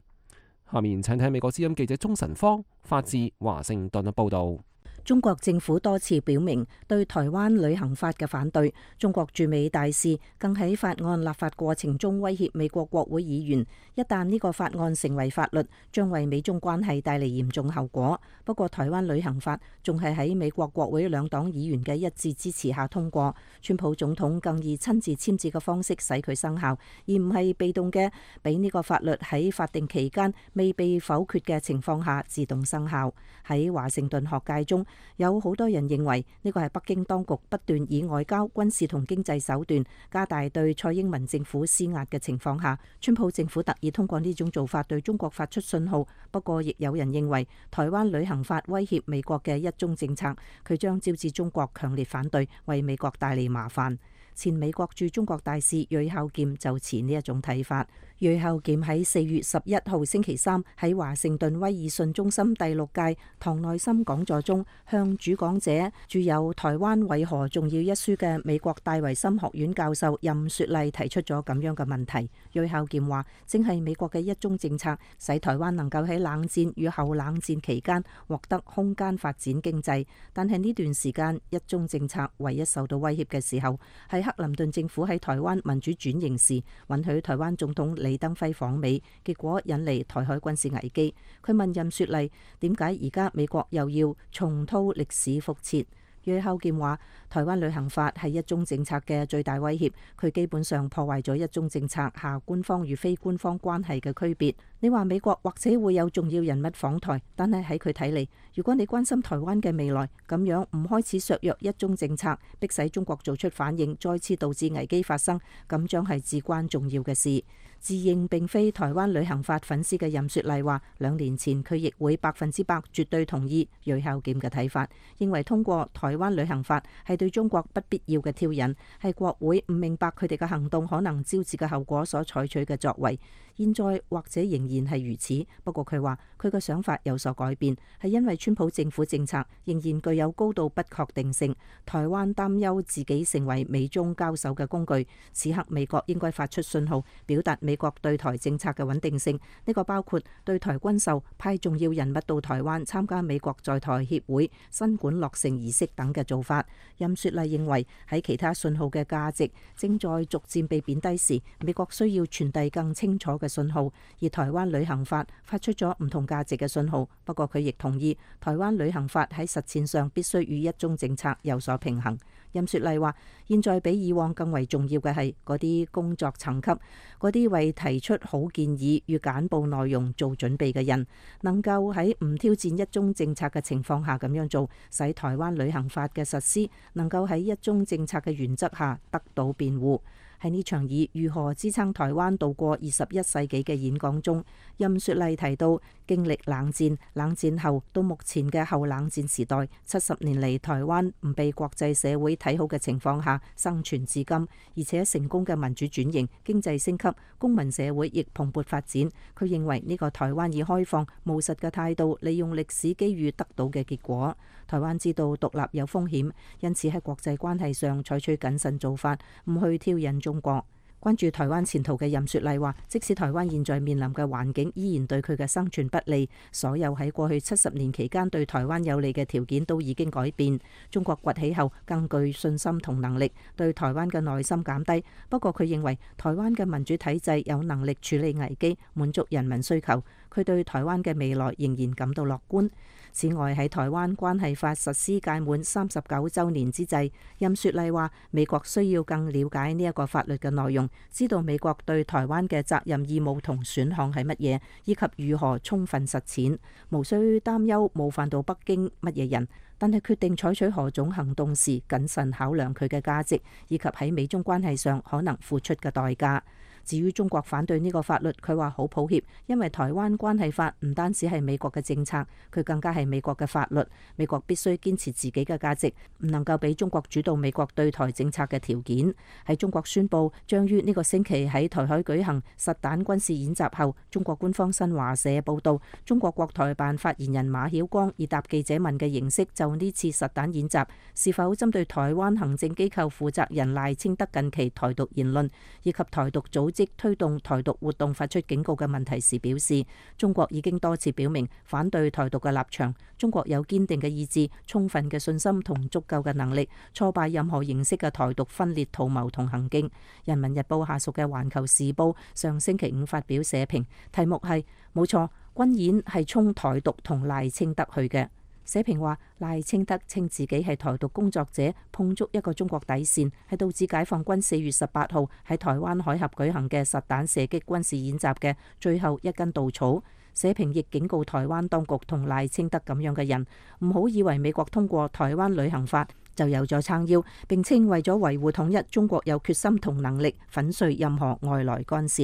下面請聽美國之音記者鍾晨芳發自華盛頓嘅報導。中國政府多次表明對台灣旅行法嘅反對，中國駐美大使更喺法案立法過程中威脅美國國會議員，一旦呢個法案成為法律，將為美中關係帶嚟嚴重後果。不過台灣旅行法仲係喺美國國會兩黨議員嘅一致支持下通過，川普總統更以親自簽字嘅方式使佢生效，而唔係被動嘅俾呢個法律喺法定期間未被否決嘅情況下自動生效。喺華盛頓學界中，有好多人認為呢個係北京當局不斷以外交、軍事同經濟手段加大對蔡英文政府施壓嘅情況下，川普政府特意通過呢種做法對中國發出信號。不過亦有人認為台灣旅行法威脅美國嘅一中政策，佢將招致中國強烈反對，為美國帶嚟麻煩。前美國駐中國大使芮孝儉就持呢一種睇法。芮孝儉喺4月11號星期三喺華盛頓威爾遜中心第6屆唐內森講座中，向主講者著有《台灣為何重要》一書嘅美國戴維森學院教授任雪麗提出咗咁樣嘅問題。芮孝儉話，正係美國嘅一中政策，使台灣能夠喺冷戰與後冷戰期間獲得空間發展經濟，但係呢段時間一中政策唯一受到威脅嘅時候，係克林頓政府喺台灣民主轉型時允許台灣總統李登輝訪美，結果引嚟台海軍事危機。佢問任雪麗，點解而家美國又要重蹈歷史覆轍？芮孝儉話，台灣旅行法係一中政策嘅最大威脅，佢基本上破壞咗一中政策下官方與非官方關係嘅區別。你話美國或者會有重要人物訪台，但係喺佢睇嚟，如果你關心台灣嘅未來，咁樣唔開始削弱一中政策，迫使中國做出反應，再次導致危機發生，咁將係至關重要嘅事。自認並非台灣旅行法粉絲嘅任雪麗話，2年前佢亦會100%絕對同意芮孝儉嘅睇法，認為通過台灣旅行法係對中國不必要嘅挑釁，係國會唔明白佢哋嘅行動可能招致嘅後果所採取嘅作為。現在或者仍然係如此，不過佢話佢嘅想法有所改變，係因為川普政府政策仍然具有高度不確定性，台灣擔憂自己成為美中交手嘅工具。此刻美國應該發出信號，表達美國對台政策嘅穩定性，呢個包括對台軍售、派重要人物到台灣參加美國在台協會新館落成儀式等嘅做法。任雪麗認為喺其他信號嘅價值正在逐漸被貶低時，美國需要傳遞更清楚嘅信號，而台灣旅行法發出咗唔同價值嘅信號。不過佢亦同意台灣旅行法喺實踐上必須與一中政策有所平衡。任雪麗話，現在比以往更為重要嘅係嗰啲工作層級，嗰啲為提出好建議與簡報內容做準備嘅人，能夠喺唔挑戰一中政策嘅情況下咁樣做，使台灣旅行法嘅實施能夠喺一中政策嘅原則下得到辯護。喺呢場以如何支撐台灣度過21世紀嘅演講中，任雪麗提到，經歷冷戰、冷戰後到目前嘅後冷戰時代，70年嚟台灣唔被國際社會睇好嘅情況下生存至今，而且成功嘅民主轉型、經濟升級、公民社會亦蓬勃發展。佢認為呢個台灣以開放、務實嘅態度利用歷史機遇得到嘅結果。台灣知道獨立有風險，因此喺國際關係上採取謹慎做法，唔去挑釁中國。關注台灣前途嘅任雪麗話，即使台灣現在面臨嘅環境依然對佢嘅生存不利，所有喺過去70年期間對台灣有利嘅條件都已經改變。中國崛起後更具信心同能力，對台灣嘅耐心減低。不過佢認為台灣嘅民主體制有能力處理危機，滿足人民需求。佢對台灣嘅未來仍然感到樂觀。此外，喺台灣關係法實施屆滿39週年之際，任雪麗話美國需要更了解呢一個法律嘅內容，知道美國對台灣嘅責任義務同選項係乜嘢，以及如何充分實踐，無需擔憂冒犯到北京乜嘢人，但係決定採取何種行動時，謹慎考量佢嘅價值，以及喺美中關係上可能付出嘅代價。至於中國反對呢個法律，佢話好抱歉，因為台灣關係法唔單止係美國嘅政策，佢更加係美國嘅法律。美國必須堅持自己嘅價值，唔能夠俾中國主導美國對台政策嘅條件。喺中國宣布將於呢個星期喺台海舉行實彈軍事演習後，中國官方新華社報道，中國國台辦發言人馬曉光以答記者問嘅形式，就呢次實彈演習是否針對台灣行政機構負責人賴清德近期台獨言論以及台獨組織推動台獨活動發出警告嘅問題時表示，中國已經多次表明反對台獨嘅立場，中國有堅定嘅意志、充分嘅信心同足夠嘅能力，挫敗任何形式嘅台獨分裂圖謀同行徑。人民日報下屬嘅環球時報上星期五發表社評，題目係冇錯，軍演係衝台獨同賴清德去嘅。社評話，賴清德稱自己係台獨工作者，碰觸一個中國底線，係導致解放軍4月18號喺台灣海峽舉行嘅實彈射擊軍事演習嘅最後一根稻草。社評亦警告台灣當局同賴清德咁樣嘅人，唔好以為美國通過台灣旅行法就有咗撐腰，並稱為咗維護統一，中國有決心同能力粉碎任何外來干涉。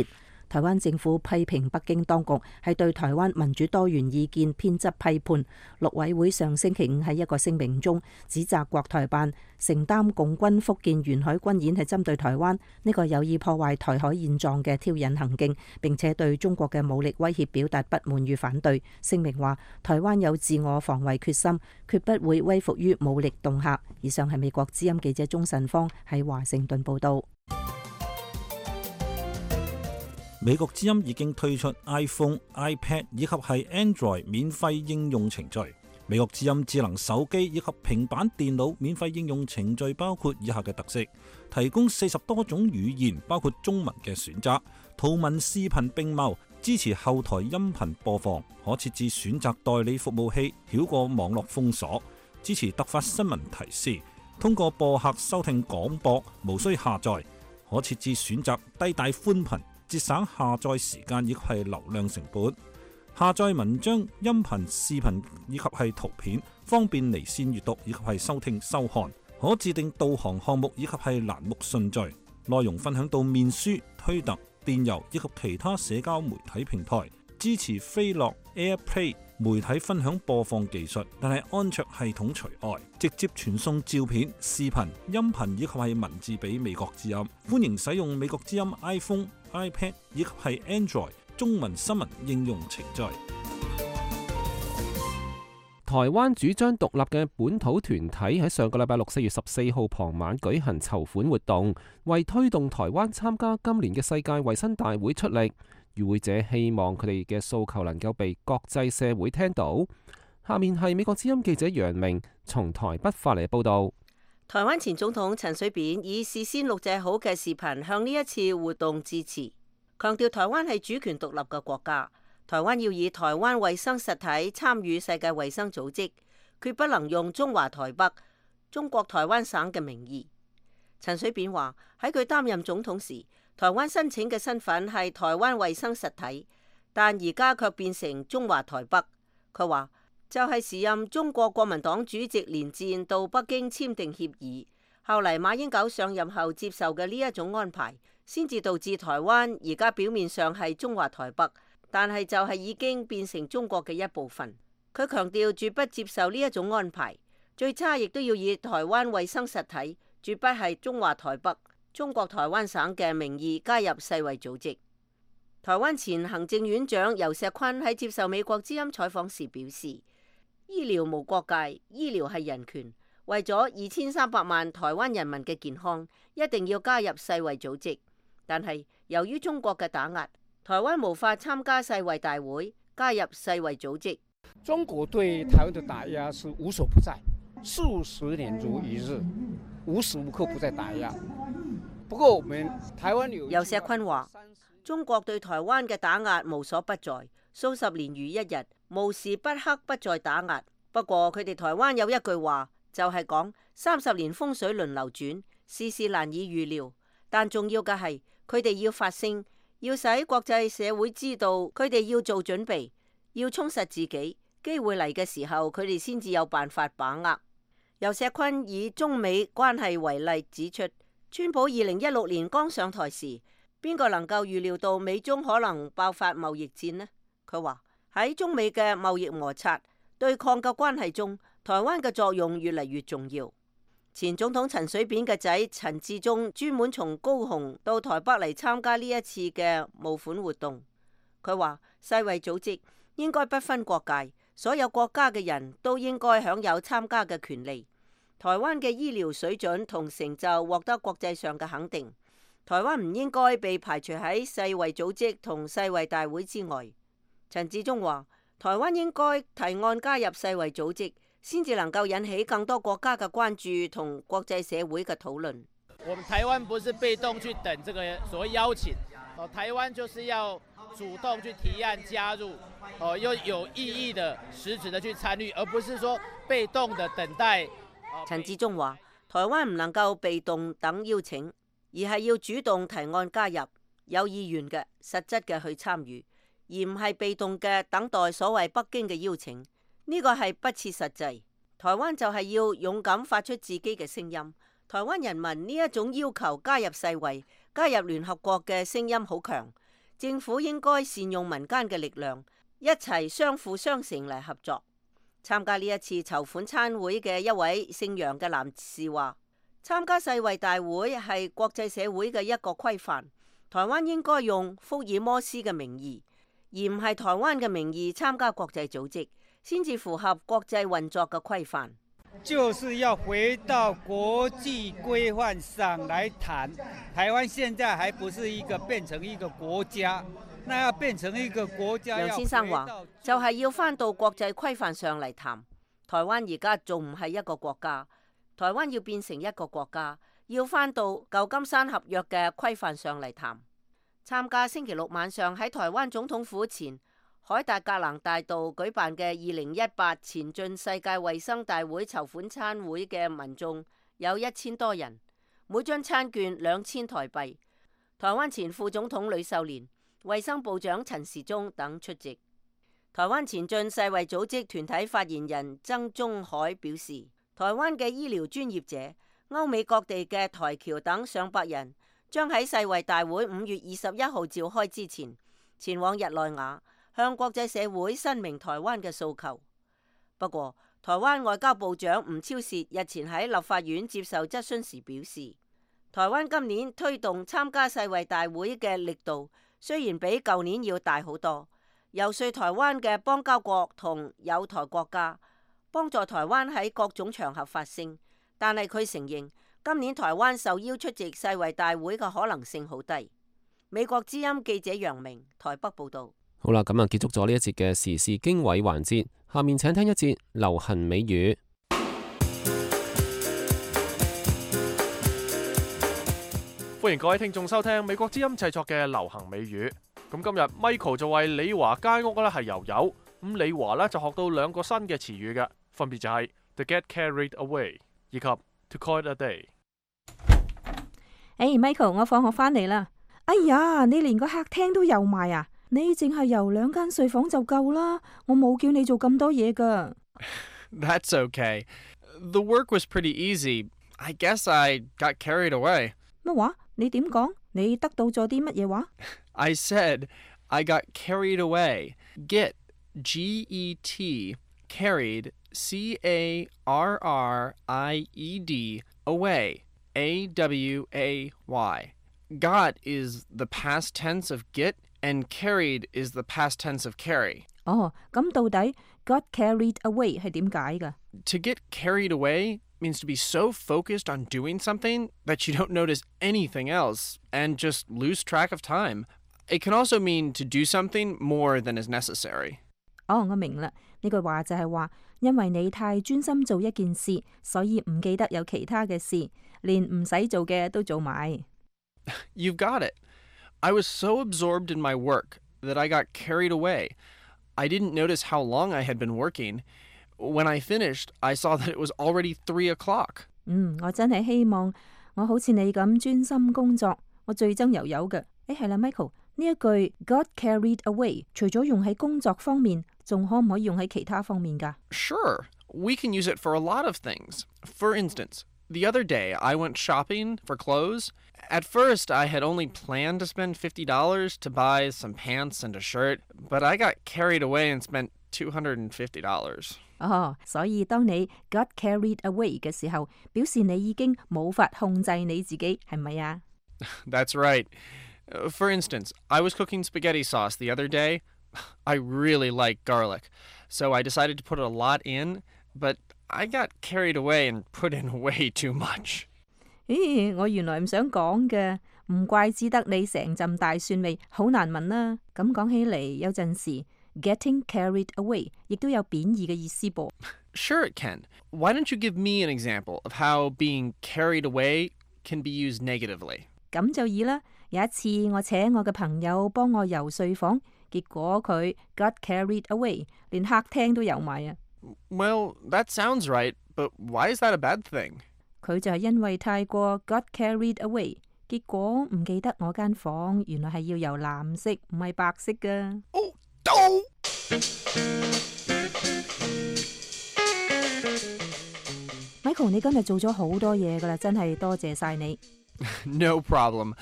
台灣政府批評北京當局係對台灣民主多元意見偏執批判。陸委會上星期五喺一個聲明中指責國台辦承擔共軍福建沿海軍演係針對台灣，呢個有意破壞台海現狀嘅挑釁行徑，並且對中國嘅武力威脅表達不滿與反對。聲明話，台灣有自我防衛決心，決不會威服於武力恫嚇。以上係美國之音記者鍾晨芳喺華盛頓報道。美國之音已經推出 iPhone、iPad 以及係 Android 免費應用程序。美國之音智能手機以及平板電腦免費應用程序包括以下嘅特色：提供40多種語言，包括中文嘅選擇，圖文視頻並茂，支持後台音頻播放，可設置選擇代理服務器，繞過網絡封鎖，支持突發新聞提示，通過播客收聽廣播，無需下載，可設置選擇低帶寬頻，節省下載時間以及係流量成本，下載文章、音頻、視頻以及係圖片，方便離線閱讀以及係收聽收看，可自定導航項目以及係欄目順序，內容分享到面書、推特、電郵以及其他社交媒體平台，支持飛樂、AirPlay 媒體分享播放技術，但係安卓系統除外，直接傳送照片、視頻、音頻以及係文字俾美國之音。歡迎使用美國之音 iPhone、iPad 以及係 Android 中文新聞應用程序。台灣主張獨立嘅本土團體喺上個禮拜六4月14號傍晚舉行籌款活動，為推動台灣參加今年嘅世界衛生大會出力。與會者希望佢哋嘅訴求能夠被國際社會聽到。下面係美國之音記者楊明從台北發嚟報道。台灣前總統陳水扁以事先錄製好嘅視頻向呢一次活動致辭，強調台灣係主權獨立嘅國家，台灣要以台灣衛生實體參與世界衛生組織，決不能用中華台北、中國台灣省嘅名義。陳水扁話喺佢擔任總統時，台灣申請嘅身份係台灣衛生實體，但而家卻變成中華台北。佢話就係時任中國國民黨主席連戰到北京簽訂協議，後嚟馬英九上任後接受嘅呢一種安排，先至導致台灣而家表面上係中華台北，但係就係已經變成中國嘅一部分。佢強調絕不接受呢一種安排，最差亦都要以台灣衛生實體，絕不係中華台北、中國台灣省嘅名義加入世衛組織。台灣前行政院長游錫堃喺接受美國之音採訪時表示，醫療無國界，醫療係人權，為咗2300萬台灣人民嘅健康，一定要加入世衛組織。但係由於中國嘅打壓，台灣無法參加世衛大會，加入世衛組織。中國對台灣的打壓是無所不在，數十年如一日，無時無刻不在打壓。不過我們台灣游錫堃話，中國對台灣嘅打壓無所不在，數十年如一日，無時不刻不在打壓。不過佢哋台灣有一句話，就係講30年風水輪流轉，事事難以預料。但重要嘅係佢哋要發聲，要使國際社會知道佢哋要做準備，要充實自己。機會嚟嘅時候，佢哋先至有辦法把握。游錫堃以中美關係為例指出，川普2016年剛上台時，邊個能夠預料到美中可能爆發貿易戰呢？佢話喺中美嘅貿易摩擦對抗嘅關係中，台灣嘅作用越嚟越重要。前總統陳水扁嘅仔陳致中專門從高雄到台北嚟參加呢一次嘅募款活動。佢話世衛組織應該不分國界，所有國家嘅人都應該享有參加嘅權利。台灣嘅醫療水準同成就獲得國際上嘅肯定，台灣唔應該被排除喺世衛組織同世衛大會之外。陳致中話，台灣應該提案加入世衛組織，先至能夠引起更多國家嘅關注同國際社會嘅討論。我們台灣不是被動去等這個所謂邀請，台灣就是要主動去提案加入，又有意義的、實質的去參與，而不是說被動的等待。陳致中話，台灣唔能夠被動等邀請，而係要主動提案加入，有意願嘅、實質嘅去參與，而唔係被動嘅等待所謂北京嘅邀請。呢個係不切實際。台灣就係要勇敢發出自己嘅聲音。台灣人民呢一種要求加入世衛、加入聯合國嘅聲音好強，政府應該善用民間嘅力量，一齊相輔相成嚟合作。參加呢一次籌款餐會嘅一位姓楊嘅男士話，參加世衛大會係國際社會嘅一個規範，台灣應該用福爾摩斯嘅名義，而唔係台灣嘅名義參加國際組織，先至符合國際運作嘅規範。就是要回到國際規範上來談，台灣現在還不是變成一個國家，那要變成一個國家。楊先生話，就係要返到國際規範上嚟談。台灣而家仲唔係一個國家，台灣要變成一個國家，要返到舊金山合約嘅規範上嚟談。參加星期六晚上喺台灣總統府前凱達格蘭大道舉辦嘅2018前進世界衛生大會籌款餐會嘅民眾有1000多人，每張餐券2000台幣。台灣前副總統呂秀蓮、衛生部長陳時中等出席。台灣前進世衛組織團體發言人曾宗海表示，台灣嘅醫療專業者、歐美各地嘅台僑等上百人，將喺世衛大會5月21號召開之前，前往日內瓦，向國際社會申明台灣嘅訴求。不過，台灣外交部長吳釗燮日前喺立法院接受質詢時表示，台灣今年推動參加世衛大會嘅力度雖然比舊年要大好多，游說台灣嘅邦交國同友台國家幫助台灣喺各種場合發聲，但係佢承認今年台灣受邀出席世衛大會嘅可能性好低。美國之音記者楊明台北報道。好啦，咁啊結束咗呢一節嘅時事經緯環節，下面請聽一節流行美語。歡迎各位聽眾收聽美國之音製作嘅流行美語。咁今日 Michael 就為李華街屋咧係油油，咁李華咧就學到2個新嘅詞語嘅，分別就係 to get carried away 以及 to call it a day。Michael， 我放學翻嚟啦。哎呀，你連個客廳都油埋啊！你淨係油2間睡房就夠啦，我冇叫你做咁多嘢㗎。That's okay. The work was pretty easy. I guess I got carried away. 乜話？你點講？你得到咗啲乜嘢話？ I said I got carried away. Get, G-E-T, carried, C-A-R-R-I-E-D, away, A-W-A-Y. Got is the past tense of get.And carried is the past tense of carry. 哦，咁到底 got carried away 係點解㗎？ To get carried away means to be so focused on doing something that you don't notice anything else and just lose track of time. It can also mean to do something more than is necessary. 我明啦，呢句話就係話，因為你太專心做一件事，所以唔記得有其他嘅事，連唔使做嘅都做埋。You've got it. I was so absorbed in my work that I got carried away. I didn't notice how long I had been working. When I finished, I saw that it was already 3 o'clock. 我真係希望我好似你咁專心工作。我最憎油油嘅。係啦 ，Michael， 呢一句 got carried away， 除咗用喺工作方面，仲可唔可以用喺其他方面㗎？ Sure. We can use it for a lot of things. For instance, the other day I went shopping for clothes. At first, I had only planned to spend $50 to buy some pants and a shirt, but I got carried away and spent $250. 所以當你 got carried away 嘅時候，表示你已經冇法控制你自己，係咪啊？ That's right. For instance, I was cooking spaghetti sauce the other day. I really like garlic, so I decided to put a lot in, but I got carried away and put in way too much. 我原來唔想講嘅，唔怪之得你成陣大蒜味，好難聞啦。咁講起嚟，有陣時 getting carried away 亦都有貶義嘅意思噃。Sure it can. Why don't you give me an example of how being carried away can be used negatively? 咁就易啦。有一次我請我嘅朋友幫我遊睡房，結果佢 got carried away， 連客廳都遊埋啊。Well, that sounds right, but why is that a bad thing? 佢就係因為太過 got carried away， 結果唔記得我間房原來係要由藍色唔係白色㗎。Michael， 你今日做咗好多嘢㗎啦，真係多謝晒你。No problem.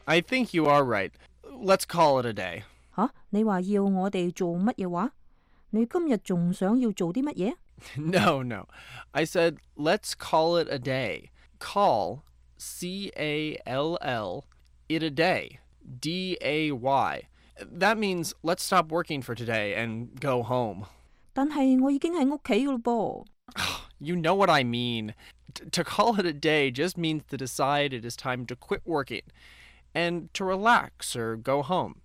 I think you are right. Let's call it a day. 你話要我哋做乜嘢話？你今日仲想要做啲乜嘢？ No. I said, let's call it a day. Call, C-A-L-L, it a day, D-A-Y. That means let's stop working for today and go home. 但係我已經喺屋企㗎咯噃。You know what I mean. To call it a day just means to decide it is time to quit working and to relax or go home.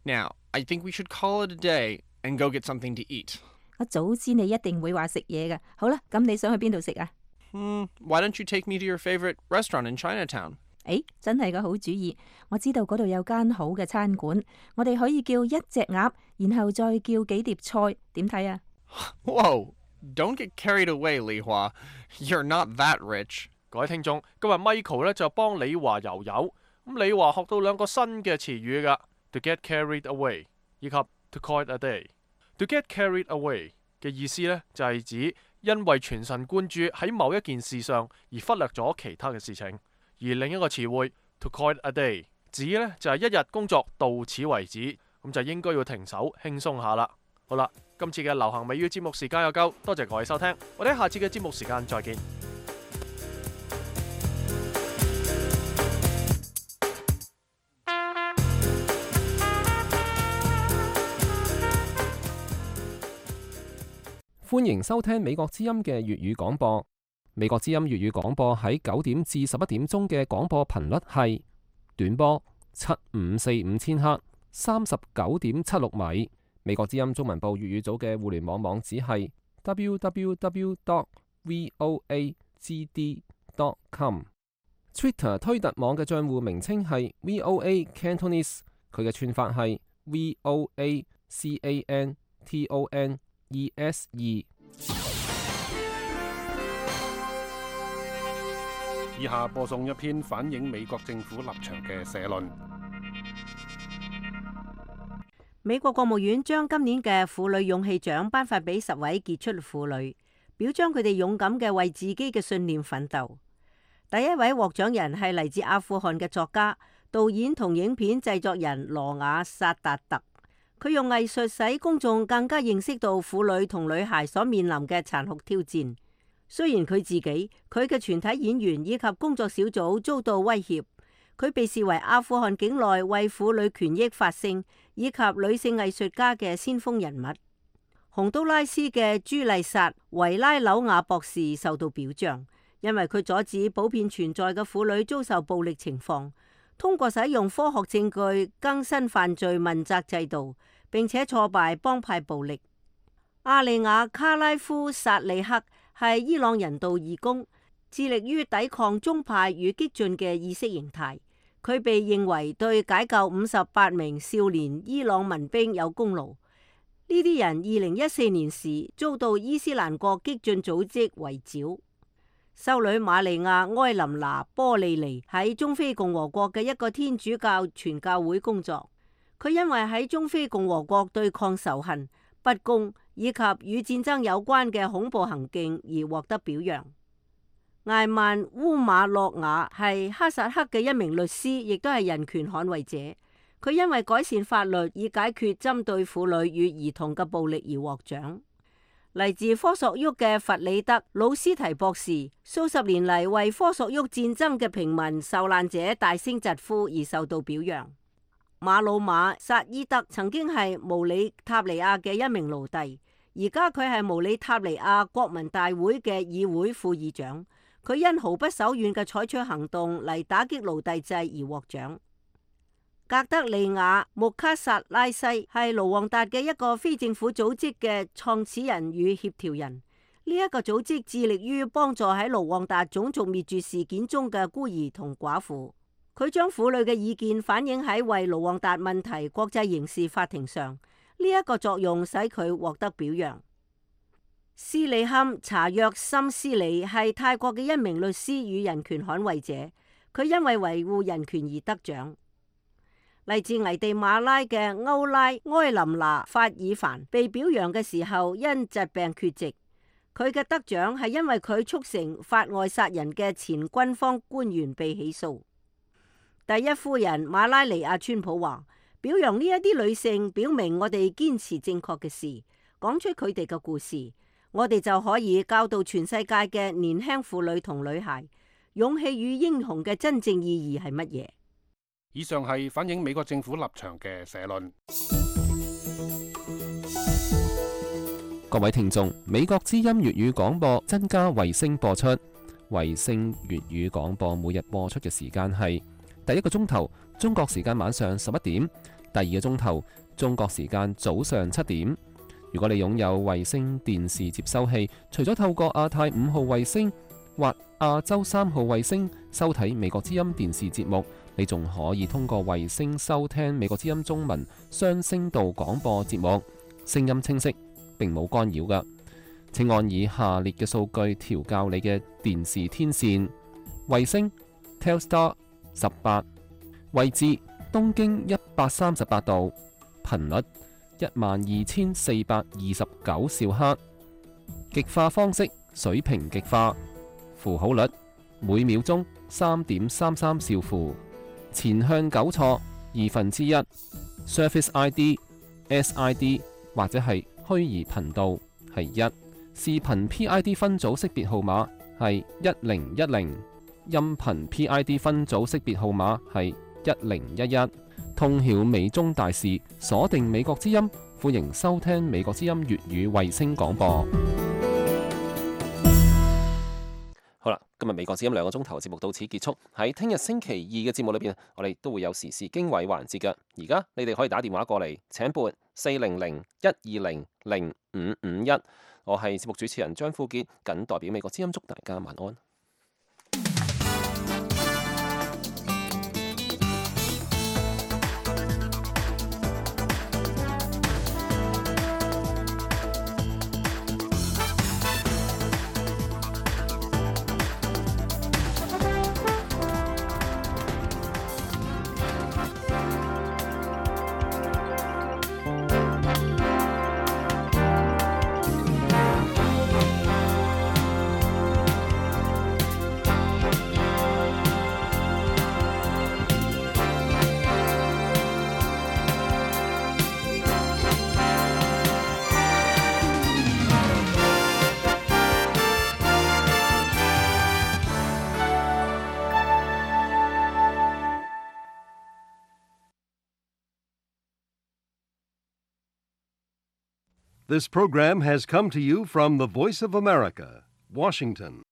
Now, I think we should call it a day and go get something to eat. 我早知你一定會話食嘢嘅。好啦，咁你想去邊度食啊？ Why don't you take me to your favorite restaurant in Chinatown? 真係個好主意。我知道嗰度有間好嘅餐館，我哋可以叫一隻鴨，然後再叫幾碟菜，點睇啊？ Whoa! Don't get carried away, Li Hua. You're not that rich. 各位聽眾，今日 Michael 咧就幫李華遊遊。咁李華學到2個新嘅詞語㗎 ，to get carried away 以及 to call it a day。To get carried away 嘅意思咧就係指因為全神貫注喺某一件事上而忽略咗其他嘅事情。而另一個詞彙 to call it a day 指咧就係一日工作到此為止，咁就應該要停手輕鬆下啦。好啦，今次嘅流行美語節目時間又夠，多謝各位收聽，我哋下次嘅節目時間再見。歡迎收聽美國之音嘅粵語廣播。美國之音粵語廣播喺9點至11點鐘嘅廣播頻率係短波7545千赫39.76米。美國之音中文部粵語組嘅互聯網網址係 www.voagd.com。Twitter 推特網嘅帳戶名稱係 VOA Cantonese， 佢嘅串法係 VOACANTONESE。以下播送一篇反映美國政府立場嘅社論。美國國務院將今年嘅婦女勇氣獎頒發俾10位傑出婦女，表彰佢哋勇敢嘅為自己嘅信念奮鬥。第一位獲獎人係嚟自阿富汗嘅作家、導演同影片製作人羅雅薩達特。佢用藝術使公眾更加認識到婦女同女孩所面臨嘅殘酷挑戰。雖然佢自己、佢嘅全體演員以及工作小組遭到威脅，佢被視為阿富汗境內為婦女權益發聲以及女性藝術家嘅先鋒人物。洪都拉斯嘅朱麗薩·維拉紐亞博士受到表彰，因為佢阻止普遍存在嘅婦女遭受暴力情況，通過使用科學證據更新犯罪問責制度，並且挫敗幫派暴力。阿利亞·卡拉夫薩利克係伊朗人道義工，致力於抵抗宗派與激進嘅意識形態。佢被認為對解救58名少年伊朗民兵有功勞。呢啲人2014年時遭到伊斯蘭國激進組織圍剿。修女瑪利亞·埃琳娜·波利尼喺中非共和國嘅一個天主教傳教會工作。佢因為喺中非共和國對抗仇恨、不公以及與戰爭有關嘅恐怖行徑而獲得表揚。艾曼烏馬諾瓦係哈薩克嘅一名律師，亦都係人權捍衛者。佢因為改善法律以解決針對婦女與兒童嘅暴力而獲獎。嚟自科索沃嘅弗里德魯斯提博士，數十年嚟為科索沃戰爭嘅平民受難者大聲疾呼而受到表揚。馬魯馬薩伊德曾經係毛里塔尼亞嘅一名奴隸，而家佢係毛里塔尼亞國民大會嘅議會副議長。佢因毫不手軟嘅採取行動嚟打擊奴隸制而獲獎。格德利亞穆卡薩拉西係盧旺達嘅一個非政府組織嘅創始人與協調人。呢一個組織致力於幫助喺盧旺達種族滅絕事件中嘅孤兒同寡婦。佢將婦女嘅意見反映喺為盧旺達問題國際刑事法庭上，呢一個作用使佢獲得表揚。斯里坎查約森斯里係泰國嘅一名律師與人權捍衛者，佢因為維護人權而得獎。嚟自危地馬拉嘅歐拉埃琳娜法爾凡被表揚嘅時候因疾病缺席，佢嘅得獎係因為佢促成法外殺人嘅前軍方官員被起訴。第一夫人馬拉尼亞川普話：表揚呢一啲女性，表明我哋堅持正確嘅事，講出佢哋嘅故事，我哋就可以教導全世界嘅年輕婦女同女孩，勇氣與英雄嘅真正意義係乜嘢。以上係反映美國政府立場嘅社論。各位聽眾，美國之音粵語廣播增加衛星播出，衛星粵語廣播每日播出嘅時間係第一個鐘頭中國時間晚上11點，第二個鐘頭中國時間早上7點。如果你擁有衛星電視接收器，除咗透過亞太5號衛星或亞洲3號衛星收睇美國之音電視節目，你仲可以通過衛星收聽美國之音中文雙聲道廣播節目，聲音清晰，並冇干擾㗎。請按以下列嘅數據調校你嘅電視天線：衛星 Telstar 18，位置東經138度，頻率12429兆赫，極化方式水平極化，符號率每秒鐘3.33兆符，前向糾錯1/2， Surface ID、SID 或者係虛擬頻道係1，視頻 PID 分組識別號碼係1010，音頻 PID 分組識別號碼係1011。通曉美中大事，鎖定美國之音，歡迎收聽美國之音粵語衛星廣播。好啦，今日美國之音2個鐘頭節目到此結束。喺聽日星期2嘅節目裏邊，我哋都會有時事經緯環節嘅。而家你哋可以打電話過嚟，請撥400-120-0551。我係節目主持人張富傑，謹代表美國之音祝大家晚安。This program has come to you from the Voice of America, Washington.